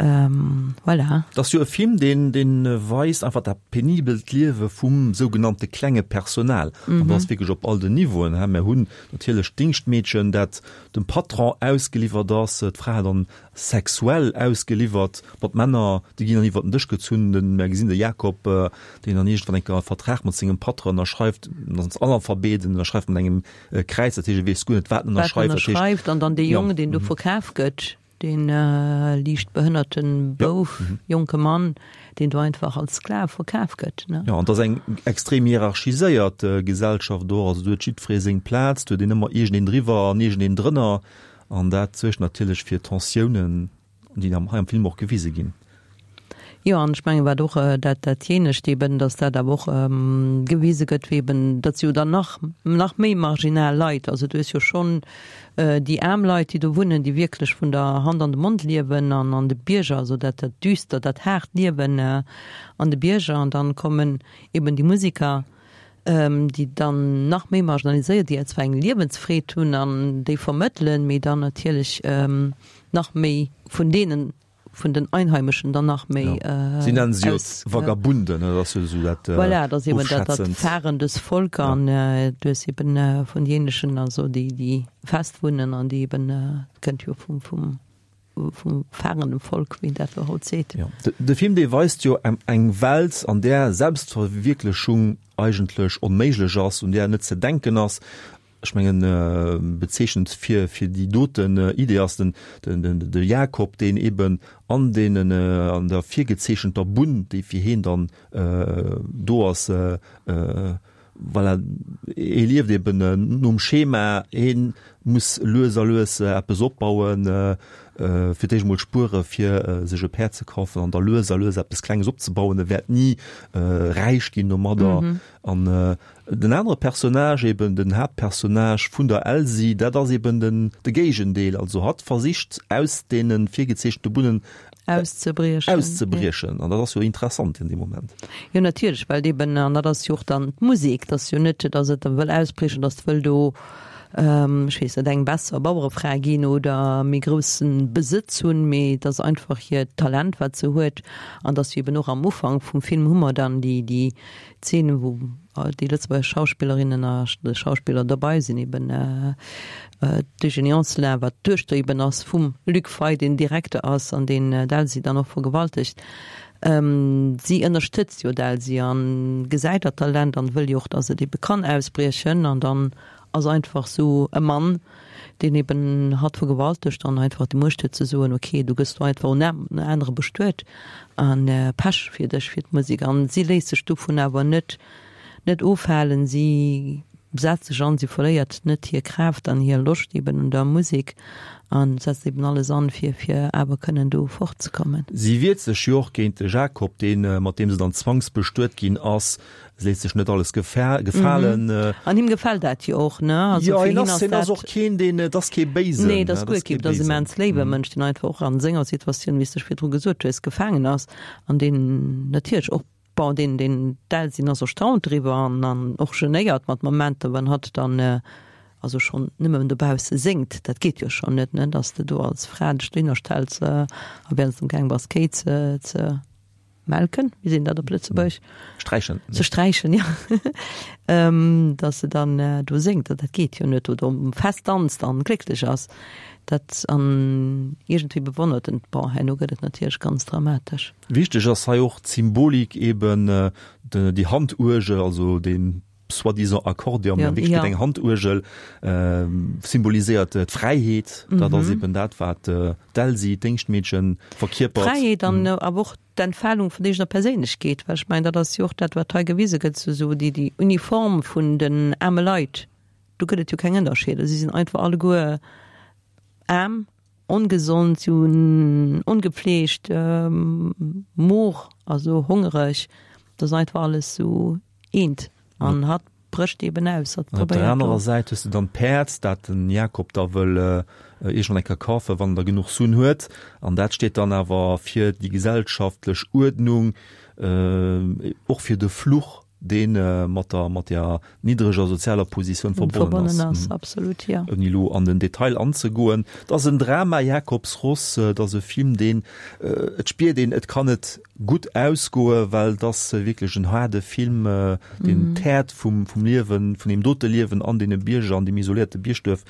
Voilà. Et ass jo e Film, deen, deen weist einfach dat penibelt Liewe vum sougenannte klenge Personal. An dat ass wierklech op all den Niveauen, hä. Mir hunn natierlech d'Dingschtmeedchen, dat dem Patron ausgeliwwert ass, d'Fra dann sexuell ausgeliwwert, ma d'Männer, déi ginn dann iwwert den Dësch gezunn. Den, mir gesinn de Jakob, deen dann iergendwann eng Kéier e Vertrag mat sengem Patron ënnerschreift, en ass Analphabet, en ënnerschreift mat engem Kräiz, dat heescht, e weess guer net, wat en Wat en ënnerschreift. Dat heescht, ënnerschreift. An dann dee jo. Jong, deen do verkaf gëtt. Dee liicht behënnerten Bouf, jonke Mann, deen do einfach als Sklav verkaf gëtt, ne? Jo, an et ass eng extrem hierarchiséiert Gesellschaft do. Also do huet jiddweree seng Plaz, do huet een ëmmer iergendeen driwwer an iergendeen drënner. An dat suergt natierlech fir Tensiounen, déi hei am Film och gewise ginn. Jo, an ech mengen, wat och dat datjenescht eben, datt dat awer och gewise gëtt, wéi eben, datt se jo dann nach, nach méi marginal Leit, also du hues jo schonn déi aarm Leit, déi do wunnen, déi wierklech vun der Hand an de Mond liewen an an de Bierger, also dat, dat düster, dat haart Liewen an de Bierger, an dann kommen eben déi Musiker, déi dann nach méi marginaliséiert, déi zwar eng Liewensfreed hunn an déi vermëttelen, mee dann natierlech nach méi vun deenen, vun den Einheimeschen dann nach méi ja. Sie nennen sie aus, Vagabunden, ne? Das ist so dat, äh, voilà, das eben dat, dat fahrendes Volk an ja. äh, du hues eben äh, vun jenischen also déi déi fest wunnen an déi eben äh, kënnt jo vum vum vum fahrenden Volk, wéi dat lo haut seet. Ja. De, de Film dee weist jo eng, eng Welt, an där Selbstverwierklechung eigentlech onméiglech ass, un där net ze denken ass. Ech mengen, bezeechnend fir fir déi doten Idee ass den den de Jakob, deen eben an deenen an der virgezeechenter Bunn, déi fir heen dann do ass, voilà, hee lieft eben nom Schema, hee muss lues a lues eppes opbauen, fir d'éischt emol spuere fir sech e Päerd ze kafen an da lues a lues eppes Klenges opzebauen. E wäert ni räich ginn domadder. An den anere Personnage, eben den Haaptpersonnage vun der Elsi, dat ass eben den de Géigendeel. Also hatt versicht aus deene virgezeechente Bunnen auszebriechen. Auszebriechen. An dat ass jo interessant an deem Moment. Jo natierlech, well eben, an dat ass jo och dann d'Musek, dat ass jo net, datt et da wëll ausbriechen, datt wëll do, ech weess net, eng besser Bauerefra ginn oder méi grousse Besëtz hunn, mee et ass einfach hiert Talent, wat se huet. An datt eben och am Ufank vum Film hu mer dann déi, déi Zeen, wou déi lëtzebuergesch Schauspillerinnen a Schauspiller dobei sinn, eben d'Eugénie Anselin, wat d'Duechter eben ass vum Luc Fey, deen Direkter ass an deen d'Elsie dann och vergewaltegt. Si ënnerstëtzt jo d'Elsie a gesäit dat Talent an wëll jo och, datt et ebe kann ausbriechen. An dann ass einfach sou e Mann, deen eben hatt vergewaltegt an einfach déi Muecht huet ze soen, ok, du gëss do einfach un en anere bestuet an Pech fir dech, fir d'Musek. An si léisst sech dovun awer net net ofhalen, si setzt sech an, si verléiert net hir Kraaft an hir Loscht eben un der Musek an setzt eben alles an, fir fir awer kënnen do fortzekommen. Si wiert sech jo och géint de Jakob, deen, mat deem se dann zwangsbestuet ginn ass. Se léisst sech net alles gefalen. An him gefält dat jo och, ne? Also fir hien ass dat. Jo, hien ass och keen, deen, et ass kee Béisen. Nee, et ass guer kee, et ass immens léiwe Mënsch, deen einfach och a senger Situatioun, wéi s de virdru gesot hues, gefaangen ass an deen natierlech och, bon, deen, deen d'Elsin ass erstaunt driwwer an, an och genéiert mat Momenter, wann hatt dann, also schonn nëmmen dobausse séngt, dat geet jo schonn net, ne, datt s de do als Fra dech dohinner stells a während s de amgaang bass Kéi ze, ze melken, wéi seet een dat op Lëtzebuergesch? Sträichen. Ze sträichen, jo. Datt se dann do séngt, dat geet jo net, oder um Fest danzt an glécklech ass. Dat an iergendwéi bewonnert en, bon, herno gëtt et natierlech ganz dramatesch. Wichteg ass hei och d'Symbolik eben, déi Handuergel, also dee soi-disant Akkordeon, mä wierklech gëtt eng Handuergel, symboliséiert d'Fräiheet. Dat ass eben dat, wat d'Elsi, d'Déngschtmeedchen, verkierpert. D'Fräiheet an awer och d'Entfalung vun eegener Perséinlechkeet, well ech mengen, dat ass jo och dat, wat hei gewise gëtt, sou déi, déi Uniform vun den aarme Leit, do gëtt et jo keng Ënnerscheeder, si sinn einfach alleguer aarm, ongesond, si hunn ongepfleegt, mor, also hongereg, dat ass einfach alles sou eent. An hatt brécht eben aus. An op der anerer Säit hues de dann d'Päerd, dat den Jakob da wëll iergendwann eng Kéier kafen, wann en da genuch Suen huet. An dat steet dann awer fir déi gesellschaftlech Uerdnung, och fir de Fluch, dee mat der, mat der niddreger sozialer Positioun verbonnen ass. Verbonnen ass, absolut, jo. Ouni elo an den Detail anzegoen. Et ass en Drama, Jakobsross. Et ass e Film, deen, et spiert een, et kann net gutt ausgoe, well et ass wierklech en haarde Film, deen d'Häert vum vum Liewen, vun deem dote Liewen an deene Bierger, an deem isoléierte Biergduerf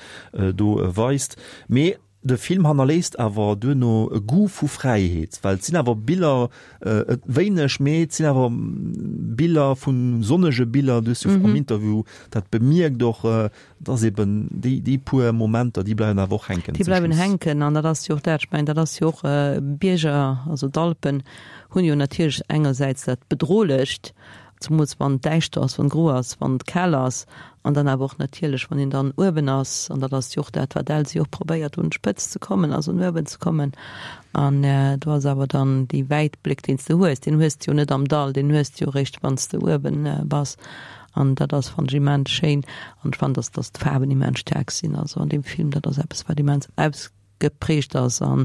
do weist. Mee de Film hannerléisst awer duerno e Goût vu Fräiheet, well et sinn awer Biller, et wéineg, mee et sinn awer Biller vu sonnege Biller, du hues jo am Interview dat bemierkt och, Et ass eben déi, déi puer Momenter, déi bleiwen awer och hänken. Déi bleiwen hänken an dat ass jo och dat, ech mengen, dat ass jo och Bierger, also d'Alpen hunn jo natierlech engersäits dat Bedrohlecht, zemools wann et däischter ass, wann et gro ass, wann et kal ass an dann awer och natierlech, wann een dann uewen ass an dat ass jo och dat, wat d'Elsi och probéiert, un d'Spëtzt ze kommen, also un uewen ze kommen an do ass awer dann dee Wäitbléck, deen s de hues, deen hues de jo net am Dall, deen hues de jo eréischt, wann s de uewen bass. An dat ass, fannen ech, immens schéin. An ech fannen, dass, dass d'Faarwen immens staark sinn. Also an deem Film, dat ass eppes, wat immens ausgeprägt ass a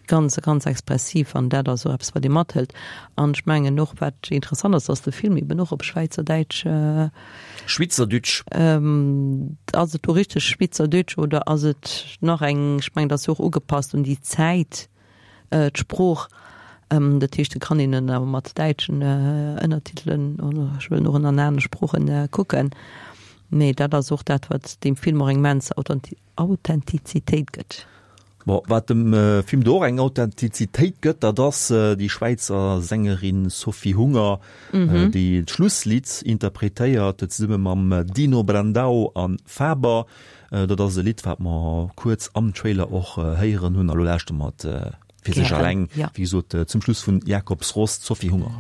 ganz, ganz expressiv. An dat ass och eppes, wat ee mathëlt. An ech mengen och, wat interessant ass, dass de Film eben och op Schwäizerdäitsch. Schwyzerdütsch. Ass et do richteg Schwyzerdütsch oder ass et nach eng, ech mengen, dat ass jo och ugepasst un déi Zäit. d'Sprooch, dat heescht, et kann een en awer mat däitschen Ënnertitelen oder ech wëllen och an anere Sproochen kucken. Mee dat ass och dat, wat deem Film och eng immens Authentizitéit gëtt. Bon, wat dem Film do och eng Authentizitéit gëtt, dat ass déi Schwäizer Sängerin Sophie Hunger, déi d'Schlusslidd interpretéiert, zesumme mam Dino Brandao a Faber. Dat ass e Lidd, wat mer kuerz am Trailer och héieren hunn. A lo lauschtere mer et fir sech alleng, wéi gesot, zum Schluss vun Jakobs Ross, d'Sophie Hunger.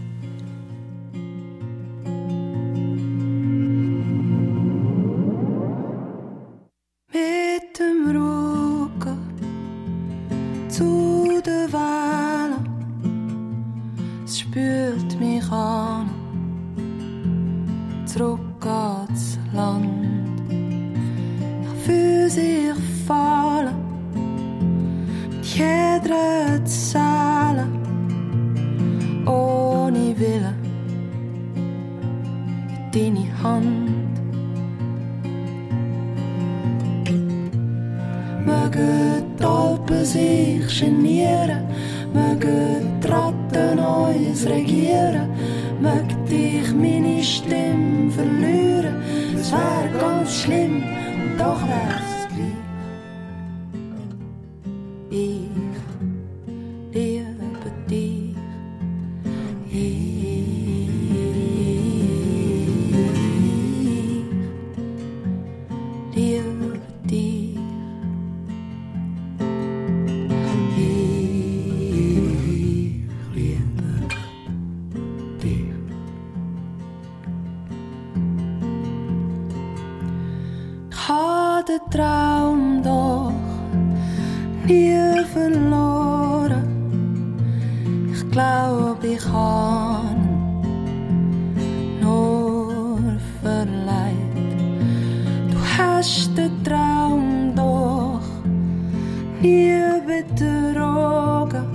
Mit dem Rücken zu de Wellen, es spült mich an, zurück ans Land. Ich fühl sich fallen, mit jeder Zelle, ohne Wille, in deine Hand. Mögen d'Alpen sich genieren, mögen d'Ratten uns regieren, mögt ich meine Stimm verlieren, es wär ganz schlimm und doch wär's gleich. Ich liebe dich. Ich liebe dich. Ich liebe dich. Ich hab den Traum doch nie verloren. Ich glaub, ich hab ihn nur verleiht. Du hast den Traum doch nie betrogen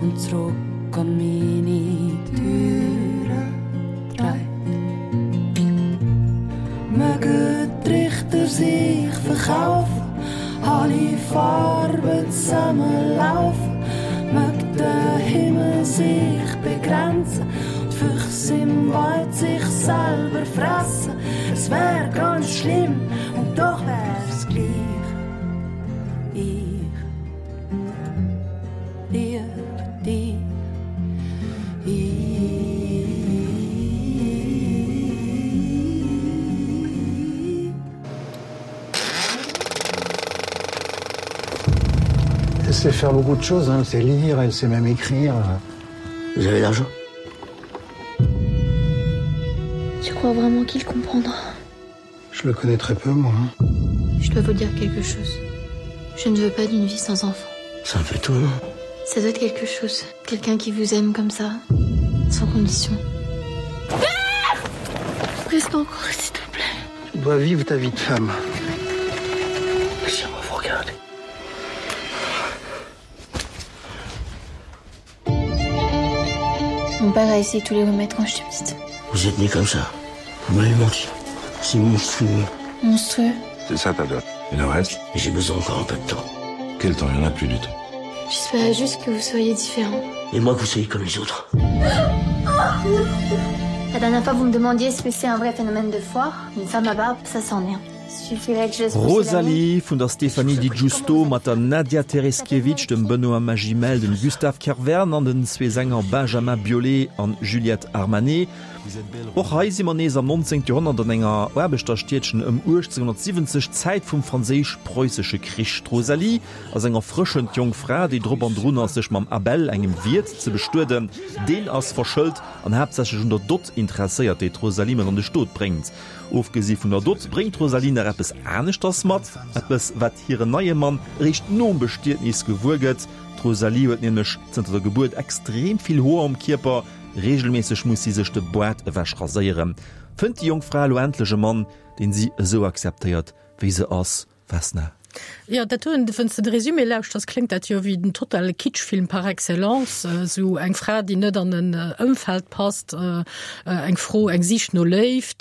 und zurück an meine Türe dreht. Mögen die Richter sich verkaufen, alle Farben zusammenlaufen, möge der Himmel sich begrenzen und Füchse im Wald sich selber fressen. Es wär ganz schlimm und doch wär's gleich. Ich liebe dich. Elle sait faire beaucoup de choses, hein. Elle sait lire, elle sait même écrire. Vous avez l'argent Tu crois vraiment qu'il comprendra Je le connais très peu, moi. Hein. Je dois vous dire quelque chose. Je ne veux pas d'une vie sans enfant. Ça me fait tout, non Ça doit être quelque chose. Quelqu'un qui vous aime comme ça, sans condition. Ah Reste encore, s'il te plaît. Tu dois vivre ta vie de femme. Laissez-moi vous regarder. Mon père a essayé tous les remèdes quand j'étais petite. Vous êtes née comme ça. Vous m'avez menti. C'est monstrueux. Monstrueux C'est ça ta dot. Et le reste J'ai besoin encore un peu de temps. Quel temps Il n'y en a plus du tout. J'espérais juste que vous soyez différent. Et moi que vous soyez comme les autres. La dernière fois, vous me demandiez ce que c'est un vrai phénomène de foire. Une femme à barbe, ça c'en est un. Rosalie vun der Stéphanie Di Giusto mat der Nadia Tereszkiewicz, dem Benoît Magimel, dem Gustave Kervern an den zwee Sänger Benjamin Biolay an Juliette Armanet. Och hei si mer nees am nonzéngte Joerhonnert an enger Aarbechterstiedchen ëm uechtzénhunnertsiwwenzeg, Zäit vum Franséisch-Preussesche Krich. D'Rosalie ass eng erfrëschend jonk Fra, déi drop an drun ass, sech mam Abel, engem Wiert, ze bestueden. Deen ass verschëlt an haaptsächlech un der Dott interesséiert, déi d'Rosalie mat an de Stot bréngt. Ofgesi vun der Dott bréngt d'Rosalie nach eppes aneschters mat, eppes, wat hiren neie Mann eréischt nom Bestietnis gewuer gëtt. D'Rosalie huet nämlech zënter der Gebuert extrem vill Hoer um Kierper, reegelméisseg muss si sech de Boart ewech raséieren. Fënnt déi jonk Fra elo endlech e Mann, deen si esou akzeptéiert, wéi se ass? Vesna. Jo, dat doen, wann s de de Résumé lauschters, kléngt dat jo wéi den totale Kitschfilm par excellence, esou eng Fra, déi net an en Ëmfeld passt, eng Fro, eng Sich no Léift,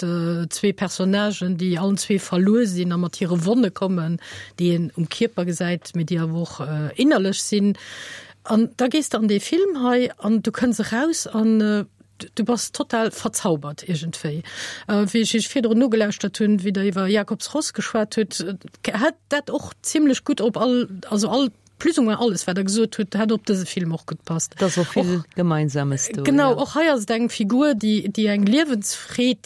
zwee Personnagen, déi allen zwee verluer sinn a mat hire Wonne kommen, déi een um Kierper gesäit, mee déi awer och innerlech sinn. An da gees de an dee Film hei an du kënns eraus an du bass total verzaubert iergendwéi. Wéi ech iech virdrun nogelauschtert hunn, wéi der iwwer Jakobs Ross geschwat hutt, hätt dat och zimlech gutt op all, also all, plus ou moins alles, wat der gesot hutt, hätt op dëse Film och gutt passt. Et ass och vill Gemeinsames do. Genau, och hei ass et eng Figur, déi, déi eng Liewensfreed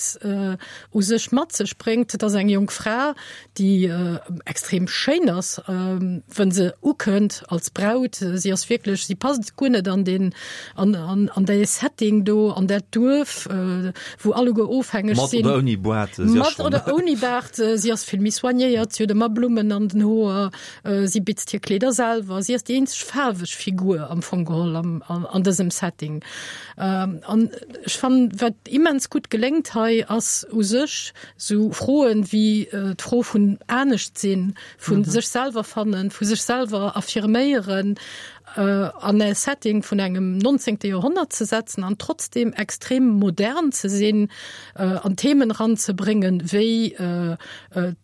u sech mat sech bréngt. Et ass eng jonk Fra, déi extrem schéin ass, wënn se ukënnt als Braut. Si ass wierklech, si passt guer net an deen, an, an, an dee Setting do, an dat Duerf, wou alleguer ofhängeg sinn. Mat oder ouni Baart, si ass Mat schonn. oder ouni Baart, si ass vill méi soignéiert, si huet ëmmer Blummen an den Hoer, si bitzt hir Kleeder selwer, si ass déi eenzeg faarweg Figur am Fong geholl am, an, an dësem Setting. An ech fannen, wat immens gutt geléngt hei, ass u sech sou Froen wéi d'Fro vun Anescht-sinn, vu sech selwer fannen, vu sech selwer affirméieren, an e Setting vun engem nonzéngte Joerhonnert ze setzen an trotzdem extrem modern ze sinn an Themen eranzebréngen wéi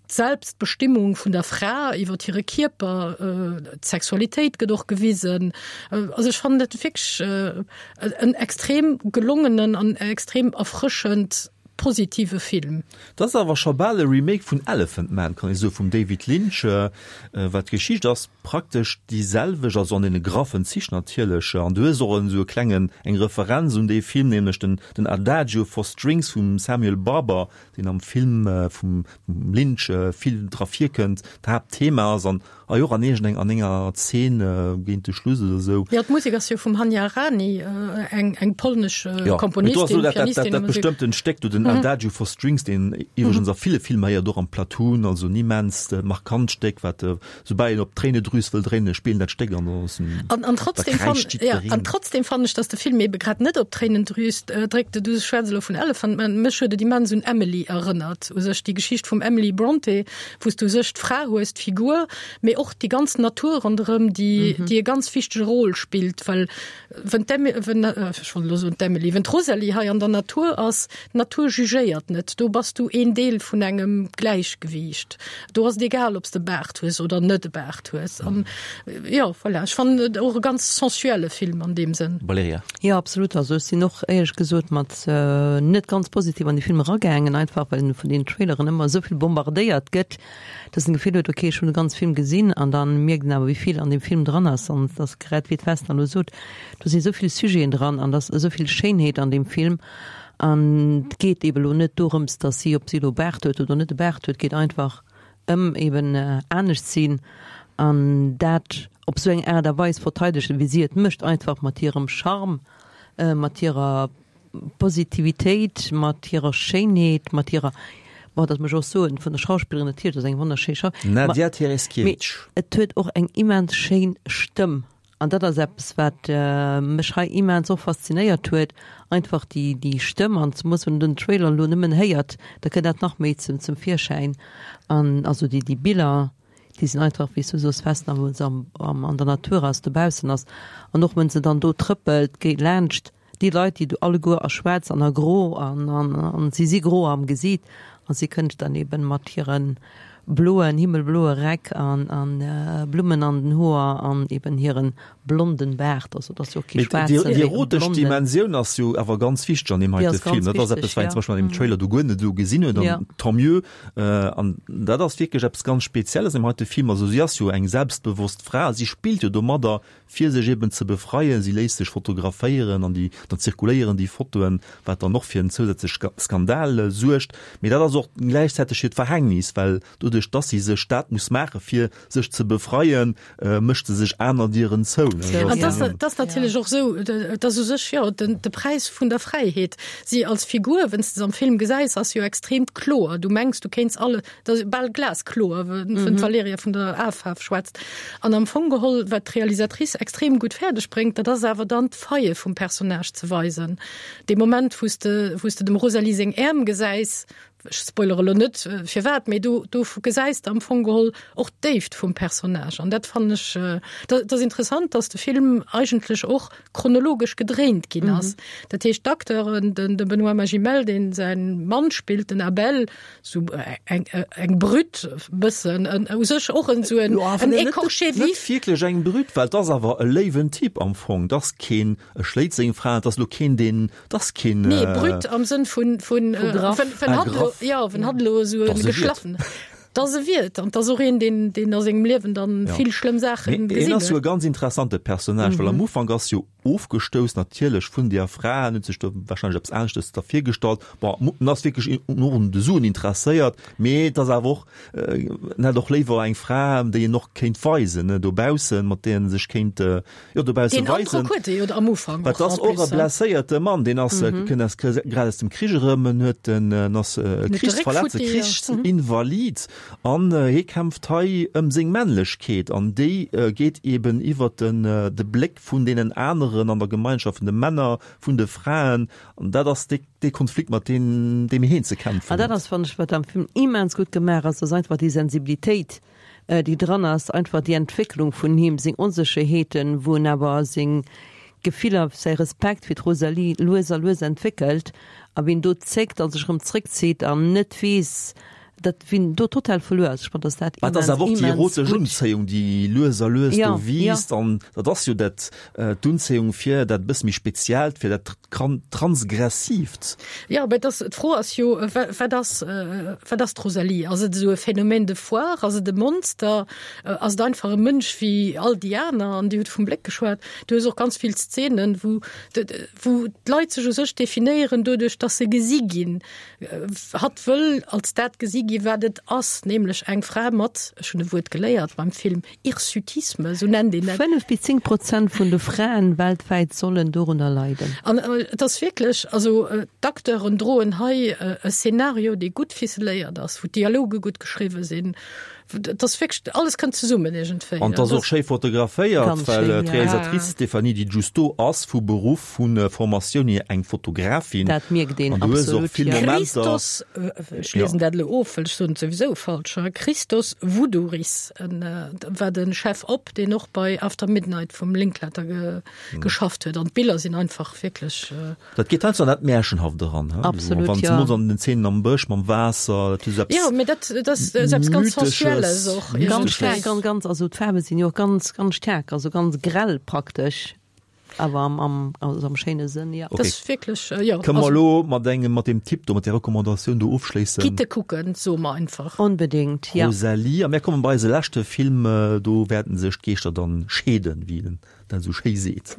d'Selbstbestimmung vun der Fra iwwer hire Kierper, d'Sexualitéit gëtt och gewisen. Also ech fannen dat wierklech en extrem gelongenen an extrem erfrëschend positive Film. Dat ass awer scho bal e Remake vun Elephant Man, kann ee soen, vum David Lynch, well d'Geschicht ass praktesch déi selwecht, also an deene graffen Zich natierlech. An du hues och esou e klengen, eng Referenz un dee Film, nämlech den den Adagio for Strings vum Samuel Barber, deen am Film vum Lynch vill dra virkënnt, d'Haaptthema ass an hei och an iergendeng an enger Zeen géint de Schluss oder esou. Jo, d'Musek ass jo vum Hania Rani, eng eng polnesch Jo, mee do ass Komponistin, elo dat, dat, Pianistin dat, a dat Musek. bestëmmtent Stéck do, den Adagio for Strings, deen iwwregens a ville Filmer héiert, och am Platoon, also en immens markant Stéck, wat soubal een op d'Tréinedrüs wëll dréinen, spillen dat Stéck an da ass en, An, an da trotzdem fan, kräischt ja, an jiddwereen. trotzdem fannen ech, dass de Film ebe grad net op d'Tréinendrüs dréckt. Du schwätz elo vun Elephant Man, mech huet et immens un Emily erënnert, u sech déi Geschicht vum Emily Brontë, wou s du u sech d'Fra hues, d'Figur, mee och déi ganz Natur ronderëm, déi, déi e ganz wichtege Rôle spillt, well wenn d'Em-, wenn, ech wollt elo soen d'Emily, wenn d'Rosalie hei an der Natur ass, d'Natur jugéiert net, do bass du een Deel vun engem Gläichgewiicht, do ass et egal, ob s de Baart hues oder net e Baart hues. An jo, voilà, ech fannen et och e ganz sensuelle Film an deem Sënn. Valerija. Jo, absolut. Also ech sinn och éierlech gesot mat net ganz positiv an de Film eragaangen, einfach well en vun den Traileren ëmmer esou vill bombardéiert gëtt, dass en d'Gefill huet, ok, ech hunn de ganz Film gesinn, an dann mierkt en awer wéi vill an deem Film dran ass, an et ass grad wéi d'Vesna elo sot, do si esou vill Sujeten dran an et ass esou vill Schéinheet an deem Film, an et geet ebe lo net dorëms, dass si, ob si elo Baart huet oder net e Baart huet, et geet einfach ëm eben anescht sinn an dat op esou eng Aart a Weis verteidegen, wéi si et mécht, einfach mat hirem Charme, mat hirer Positivitéit, mat hirer Schéinheet, mat hirer, bon, dat muss ech och soen, vun der Schauspillerin natierlech, dat ass eng wonnerschéi Schau-, Nadia mee Tereszkiewicz. et huet och eng immens schéin Stëmm an dat ass eppes, wat mech hei immens och faszinéiert huet, einfach déi, déi Stëmm an zemoos wann een den Trailer elo nëmmen héiert, da kënnt dat nach méi zum, zum Virschäin an also déi, déi Biller, déi sinn einfach, wéi s du soos, Vesna, wou se am, am, an der Natur ass, dobaussen ass an och wenn se dann do trëppelt, geet laanscht déi Leit, déi do alleguer a schwaarz an a gro an, an, an si si gro am Gesiit a si kënnt dann eben mat hire bloen, himmelbloe Räck an, an Blummen an den Hoer an eben hiren blonden Baart, also et ass jo och kee Mee déi, schwaarzen, déi mee e erotesch blonden. Dimensioun ass jo awer ganz wichteg an deem Déi heite ass ganz Film. Dat ass eppes, wichteg, wat een ja. zum Beispill an deem Trailer do guer net esou gesinn huet, an Ja. tant mieux. An dat ass wierklech eppes ganz Spezielles an deem heite Film. Also si ass jo eng selbstbewosst Fra, si spillt jo domadder, fir sech eben ze befreien. Si léisst sech fotograféieren an déi, dann zirkuléieren déi Fotoen, wat dann och fir en zousätzlech Skandal suergt. Mee dat ass och gläichzäiteg hiert Verhängnis, well doduerch, dass si sech dat muss maache fir sech ze befreien, mécht se sech aner Dieren zou. An dat ass natierlech och esou, et ass u sech, jo, den, de Präis vun der Fräiheet. Si als Figur, wann s de se am Film gesäis, ass jo extrem kloer. Du mengs, du kéints alle, dat ass bal glaskloer, wann d'Valerija vun der Afaarf schwätzt. An am Fong geholl, wat d'Realisatrice extrem gutt fäerdeg bréngt, dat ass awer dann d'Faille vum Personnage ze weisen. Dee Moment, wou s de, wou s de dem Rosalie seng Äerm gesäis, Ech spoilere lo net firwat, mee do do gesäis de am Fong geholl och d'Déift vum Personnage an dat fannen ech, dat ass interessant, dass de Film eigentlech och chronologesch gedréint ginn ass. Dat heescht d'Acteuren, den de Benoît Magimel, deen säin Mann spillt, den Abel, sou eng eng Brütt bëssen, u sech och en sou en écorché vif. Net wierklech eng Brütt, well et ass awer e léiwen Typ am Fong, et ass keen, e schléit seng Fra, et ass elo keen deen, et ass keen. Nee, Brütt am Sënn vun, vun, wenn hatt elo, jo, wenn hatt elo esou e geschlaffen. Dass e wiert an dass och een, deen, deen a sengem Liewen dann vill schlëmm Saachen gesinn huet. Hien ass jo e ganz interessante Personnage, well am Ufank ass jo ofgestouss natierlech vun deer Fra, en huet sech do warscheinlech eppes aneschtes da virgestallt. Bon, en ass wierklech och un de Suen interesséiert, mee et ass awer och, en hätt och léiwer eng Fra, déi en och kéint weisen, ne, dobaussen, mat där en sech kéint, jo, dobausse weisen. Deen Androck huet e jo am Ufank och. Dat ass och e blesséierte Mann, deen ass, kënnt aus, grad aus dem Krich erëm, en huet en, en ass e Krichsverletzte, Krichsinvalid an hie kämpft hei ëm seng Männlechkeet an déi geet eben iwwert den, de Bléck vun deenen aneren an der Gemeinschaft, vun de Männer, vun de Fraen an dat ass dee, dee Konflikt, mat deem, deem hien ze kämpfen huet. An dat ass, fannen ech, wat am Film immens gutt gemaach ass, ass einfach déi Sensibilitéit, déi dran ass, einfach déi Entwécklung vun him, seng Onsécherheeten, wou en awer seng Gefiller, säi Respekt fir d'Rosalie lues a lues entwéckelt a wéi en do zéckt a sech erëm zréckzitt an net weess, dat wéi en do total verluer ass. Ech fannen, dass dat Mä et ass immens, awer och déi immens erotesch gutt. Unzéiung, déi lues a lues do Ja, ja. wiisst an dat ass jo dat, d'Unzéiung fir dat e bësse méi Speziellt, fir dat Transgressiivt. Jo, mä et ass, d'Fro ass jo, wat ass, wat ass d'Rosalie? Ass et esou e Phénomène de foire? Ass et e Monster? Ass et einfach e Mënsch wéi all déi aner? An Dir hutt vum Bléck geschwat. Du hues och ganz vill Szenen, wou, wou d'Leit sech u sech definéieren doduerch, dass se gesi ginn. Hatt wëll als dat gesi gi wat et ass, nämlech eng Fra mat, ech hunn e Wuert geléiert beim Film, Hirsutisme, esou nennt een dat. Fënnef bis zéng Prozent vun de Fraen weltwäit sollen dorunner leiden. An et ass wierklech, also d'Acteuren droen hei e Szenario, dee gutt ficeléiert ass, wou d'Dialoge gutt geschriwwe sinn, Et ass wierklech, alles kënnt zesummen iergendwéi. An et ass och schéi fotograféiert, Ganz well schéin, ja. d'Realisatrice Stéphanie Di Giusto ass vu Beruff, vu Formatioun hier eng Fotografin. Dat mierkt een An du hues och absolut, vill ja. Momenter. Christos, ech liesen dat elo of, well ech soen et souwisou falsch, Christos Voudouris war de Chef op, deen och bei After Midnight vum Linklater geschafft huet. An d'Biller sinn einfach wierklech. Dat geet heiansdo an dat Märchenhaft eran, he? Absolut, Wann ja. zemools an den Zeenen am Bësch mam Waasser, dat huet esou eppes Jo, mee dat, dat ass eppes ganz Mythesches, Sensuelles och Ganz iergendwéi. staark, ganz, ganz, also d'Faarwe sinn jo och ganz, ganz staark, also ganz grell praktesch, awer am, am, also am schéine Sënn, ja. Dat ass wierklech, jo, Kënne mer also. elo mat engem, mat deem Tipp do, mat där Recommandatioun do ofschléissen? Gitt e kucken, soe mer einfach. Onbedéngt, ja. Rosalie, a mir kommen bei eise leschte Film, do wäerten sech d'Geeschter dann scheeden, wéi een dat esou schéi seet.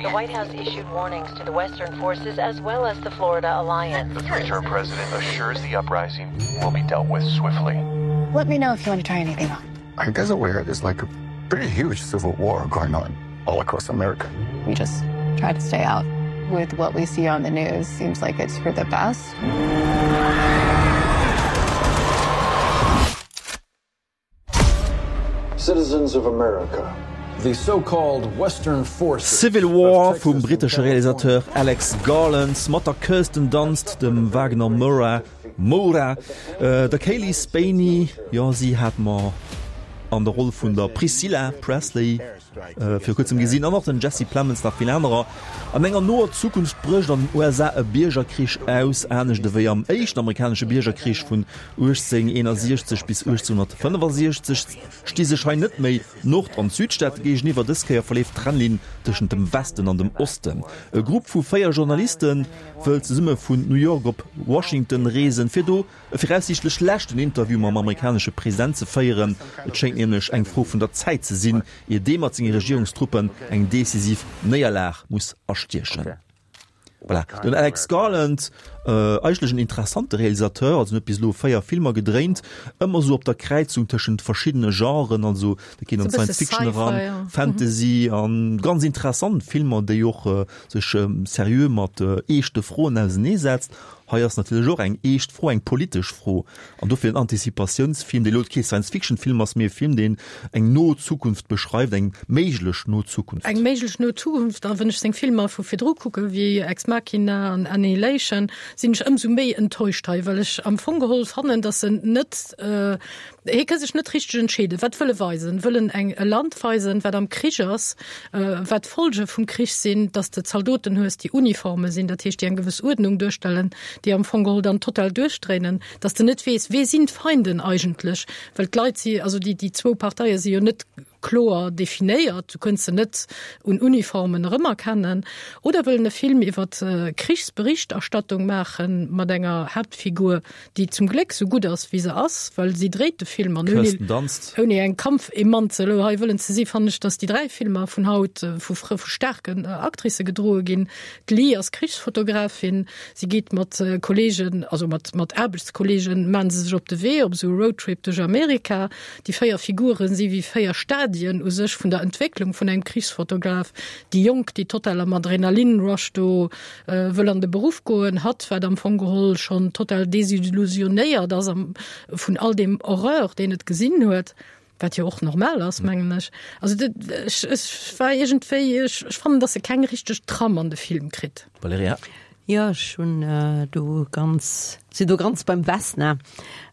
The White House issued warnings to the Western forces as well as the Florida Alliance. The three-term president assures the uprising will be dealt with swiftly. Let me know if you want to try anything on. Are you guys aware there's like a pretty huge civil war going on all across America? We just try to stay out. With what we see on the news, seems like it's for the best. Citizens of America. The so-called Western Forces Civil War vum brittesche Realisateur Alex Garland mat der Kirsten Dunst, dem Wagner Moura, Moura, der Cailee Spaeny, jo si hat mer an der Roll vun der Priscilla Presley viru kuerzem gesinn, an och den Jesse Plemons, nach vill anerer. An enger noer Zukunft brécht an den U S A e Biergerkrich aus, anescht ewéi am éischten amerikanesche Biergerkrich vun uechtzénhunderteenasiechzeg bis uechtzénhundertfënnefasiechzeg sti sech hei net méi d'Nord an d'Südstaate géigeniwwer. Dës Kéier verleeft d'Trennlinn tëschent dem Westen an dem Osten. E Grupp vu véier Journaliste wëll zesumme vun New York op Washington reesen, fir do e viraussiichtlech leschten Interview mam amerikanesche President ze féieren. Et schéngt nämlech eng Fro vun der Zäit ze sinn, ier dee mat senge Regierungstruppen eng decisiv Néierlag muss astiechen. Voilà, den Alex Garland Eigentlech en interessante Realisateur, also en huet bis elo véier Filmer gedréint, ëmmer esou op der Kräizung tëschent verschiddene Genren, also dat geet an Science Fiction eran, Fantasy an ganz interessant Filmer, déi och sech seriö mat eeschte Froen auseneesetzt. Hei ass natierlech och eng eescht Fro, eng politesch Fro an dofir en Antizipatiounsfilm, dee lo kee Science-Fiction-Film ass, mee e Film, deen eng no Zukunft beschreift, eng méiglech no Zukunft. Eng méiglech no Zukunft. A wann ech seng Filmer vu virdru kucke wéi Ex Machina an Annihilation, sinn ech ëmsou méi enttäuscht hei, well ech am Fong geholl fannen, datt en net, hie ka sech net richteg entscheeden, wat wëll e weisen. Wëll en eng e Land weisen, wat am Krich ass, wat d'Folge vum Krich sinn, datt s de Zaldoten hues, déi Uniforme sinn, dat heescht déi eng gewëss Uerdnung duerstellen, déi am Fong geholl dann total duerchdréinen, dass de net weess, wee sinn d'Feinden eigentlech, well d'Leit si, also déi, déi zwou Parteie si jo net kloer definéiert, du kënns se net un Uniformen erëmerkennen. Oder wëllen e Film iwwer Krichsberichterstattung maache mat enger Haaptfigur, déi zum Gléck sou gutt ass, wéi se ass, well si dréit de Film an ouni, ouni eng Kampfemanze elo hei wëllen ze si, fannen ech, dass déi dräi Filmer vun haut vu, vu staarken Actricë gedroe ginn. D'Lee ass Krichsfotografin, si geet mat Kolleegen, also mat mat Aarbechtskolleegen, maachen se sech op de Wee op esou e Roadtrip duerch Amerika. Déi véier Figure si wéi véier Stadien u sech vun der Entwécklung vun engem Krichsfotograf. Déi Jonk, déi total am Adrenalin-Rush do wëll an de Beruff goen, hatt, wat am Fong geholl schonn total desillusionéiert ass vun all deem Horreur, deen et gesinn huet. Wat jo och normal ass, mengen ech. Also dat, ech, ech war iergendwéi, ech, ech fannen, dass e keng richteg Trame an de Film kritt. Valerija? Jo, ech hunn do ganz, sinn do ganz beim Vesna.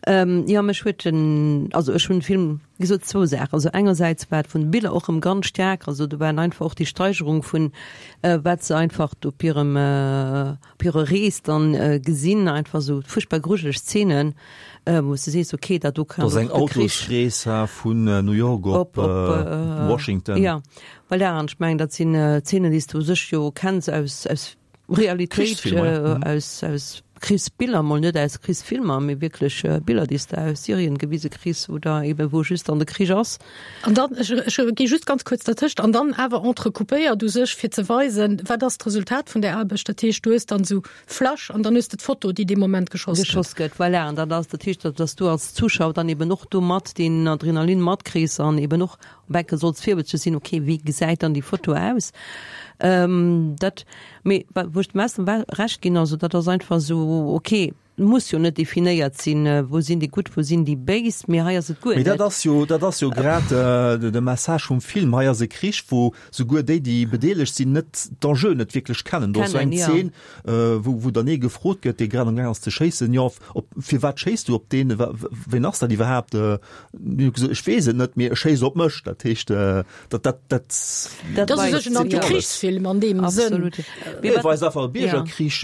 Jo, mech huet den, also ech hunn de Film, wéi gesot, zwou Saachen. Also engersäits war et vun de Biller och erëm ganz staark, also do waren einfach och déi Steigerung vun wat se einfach op hirem, op hirer Rees dann gesinn, einfach esou fuerchtbar grujeleg Szenen. Wou s de sees, okay, dat do kann och de Krich. Dat ass eng Autosrees vun New York op Washington. Jo, voilà, an ech mengen, dat sinn Zeenen, déi s de u sech jo kenns aus, aus Realitéit, aus, aus Krichsbiller, mol net aus Krichsfilmer, mee wierklech Biller, déi s de aus Syrien gewise kriss oder eeben wou just dann de Krich ass. An dann, ech, ech gi just ganz kuerz dertëscht, an dann awer entrecoupéiert u sech, fir ze weisen, wat ass d'Resultat vun där Aarbecht. Dat heescht, du hues dann esou Flash an dann hues de d'Foto, déi dee Moment geschoss gëtt. Geschoss gëtt, voilà. An dat ass, dat heescht, dass du als Zuschauer dann eben och do mat deen Adrenalin matkriss an eben och op enke solls virwëtzeg sinn, okay, wéi gesäit dann déi Foto aus? Dat, mee wou ech dem Esther Recht ginn, also dat ass einfach esou, okay, muss jo net definéiert sinn, wou sinn déi Gutt, wou sinn déi Béis, mee hei ass et guer net. Mee dat ass jo, dat ass jo grad de Message vum Film. Hei ass e Krich, wou souguer déi, déi bedeelegt sinn, net d'Enjeuen net wierklech kennen. Do ass esou eng Zeen, wou, wou dann ee gefrot gëtt, dee grad amgaang ass ze schéissen, jo, op, firwat schéiss du op deen, wien ass dat iwwerhaapt? Ech weess et net, mee e schéisst op mech. Dat heescht, dat, dat, dat. Dat ass u sech en Antikrichsfilm an deem Sënn. Mee et weist einfach e Biergerkrich,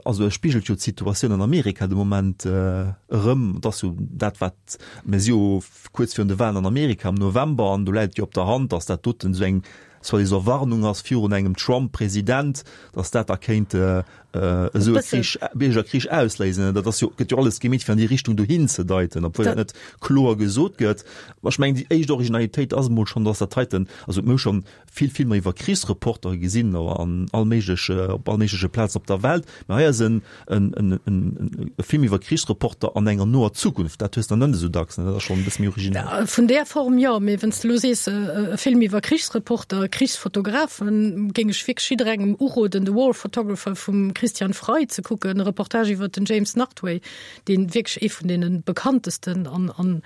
also e spigelt jo d'Situatioun an Amerika de Moment erëm. Et ass jo dat, wat, mir si jo kuerz virun de Walen an Amerika am November, an do läit et jo op der Hand, datt dat doten esou eng soi-disant Warnung ass virun engem Trump-President, datt dat da kéint esou e Krich, Biergerkrich ausléisen. Dat ass jo, gëtt jo alles gemeet, fir an déi Richtung dohin ze deiten, obwuel dat net kloer gesot gëtt. Ech mengen, déi éischt Originalitéit ass emol schonn, datt dat heiten, also mir hu schonn vill Filmer iwwer Krichsreportere gesinn an all méiglech, op all méigleche Plazen op der Welt, mä hei ass en, en, en, en e Film iwwer Krichsreporter an enger noer Zukunft. Dat hues de net esou dacks, ne? Dat ass schonn e bësse méi originell. Vun där Form jo, mee wann s de elo sees, e Film iwwer Krichsreporter, Krichsfotografen, géing ech wierklech jidderengem uroden, The War Photographer vum Christian Frei ze kucken, e Reportage iwwer den James Nachtwey, deen wierklech ee vun deene bekanntesten an, an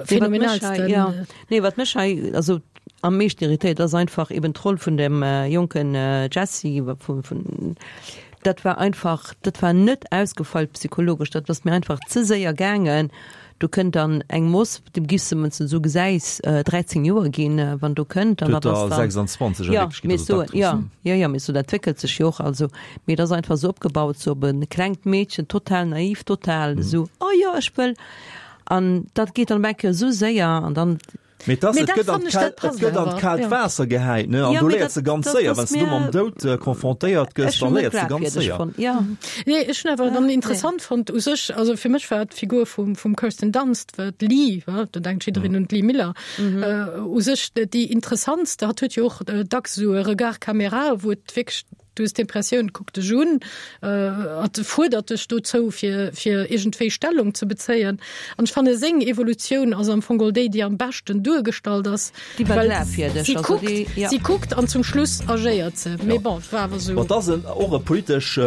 phänomenalsten. Nee, wat mech hei also am meeschten irritéiert, ass einfach eben d'Roll vun dem jonken Jesse, vun, vun, dat war einfach, dat war net ausgefeilt psychologesch, dat ass mir einfach ze séier gaangen. Do kënnt dann eng Moss, dem giffs de, wann s de esou gesäis, dräizéng Joer ginn, wann do kënnt. An dat ass dann. sechsundzwanzeg a Wierklechkeet, also d'Actrice. Jo, jo, jo, mee sou dat wéckelt sech jo och. Also, mee et ass einfach esou opgebaut, sou op e klengt Meedchen, total naiv, total esou, oh jo, ech wëll. An dat geet dann op eng Kéier esou séier an dann. Mee et ass, et gëtt an d'kaalt, et gëtt an d'kaalt Waasser gehäit, ne? An do léiert se ganz séier, wann s du mam Doud confrontéiert gëss, da léiert se ganz séier. Nee, ech hunn awer dann interessant fonnt u sech, also fir mech war d'Figur vum, vum Kirsten Dunst, war d'Lee, wa, do denkt jiddereen un d'Lee Miller, u sech déi interessantste. Hatt huet jo och dacks esou e Regard caméra, wou et wierklech Du hues d'Impressioun, kuckt dech un, et fuerdert dech dozou, fir, fir iergendwéi Stellung ze bezéien. An ech fanne seng Evolutioun ass am Fong geholl déi, déi am beschten duergestallt ass, Déi war well glafwierdeg, si also kuckt, déi, ja. si kuckt an zum Schluss agéiert se. Mee Ja. bon, et war awer esou. Bon, et ass en, och e politesch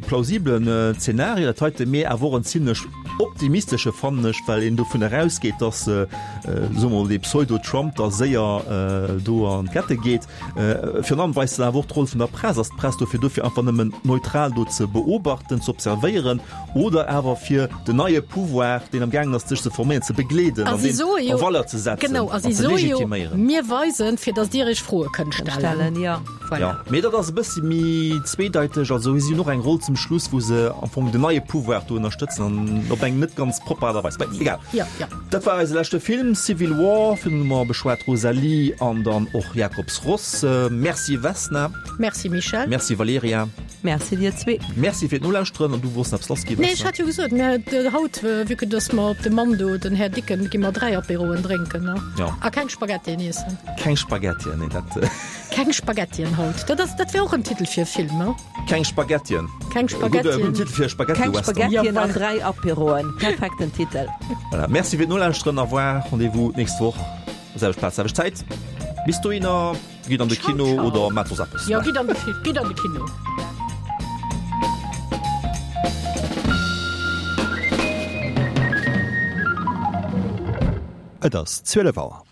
plausibelen Zeenario, dat heite, mee awer och en zimlech optimistesche, fannen ech, well een dovun erausgeet, dass, soe mer mol, dee Pseudo-Trump da séier do an d'Kette geet. Virun allem weist en awer och d'Roll vun der Press. Ass d'Press dofir do, fir einfach nëmmen neutral do ze beobachten, ze observéieren oder awer fir den neie Pouvoir, deen am gaangen ass sech ze forméieren, ze begleeden A an si deen soe a jo, Valeur ze setzen genau, a an si ze soe jo, legitiméieren? mir weisen, fir datt Dir Iech Froe kënnt stellen. Stellen, jo. Voilà. Jo, mee dat ass e bëssi méi zweedeiteg. Also si hunn och eng Roll zum Schluss, wou se am Fong den neie Pouvoir do ënnerstëtzen an op eng net ganz propper Aart a Weis. Mee egal. Jo, jo. Dat war eise leschte Film, Civil War. Virun hu mer beschwat Rosalie an dann och Jakobs Ross. Merci Vesna. Merci Michel. Merci Valerija. Merci dir zwee. Merci fir d'Nolauschteren an du wolls nach eppes lassginn, Nee, ech Vesna? hat jo gesot, mir haut, vue que dass mer op de Mando, den Här Dicken, gi mer dräi Apéroen drénken, ne? Ja. A keng Spaghettien iessen. Keng Spaghettien, nee, dat. Keng Spaghettien haut. Dat ass, dat wär och en Titel fir e Film, ne? Keng Spaghettien. Keng Spaghettien. Gudde Titel fir e Keng Spaghetti-Western. Spaghettien an dräi Apéroen. Perfekten Titel. Voilà, merci fir d'Nolauschteren. Au revoir, rendez-vous d'nächst Woch, selwecht Plaz, selwecht Zäit. Bis dohinner, gitt an de Ciao, Kino ciao. oder maacht soss eppes. Jo, gitt an de Film, gitt an de Kino. Et ass zwielef Auer.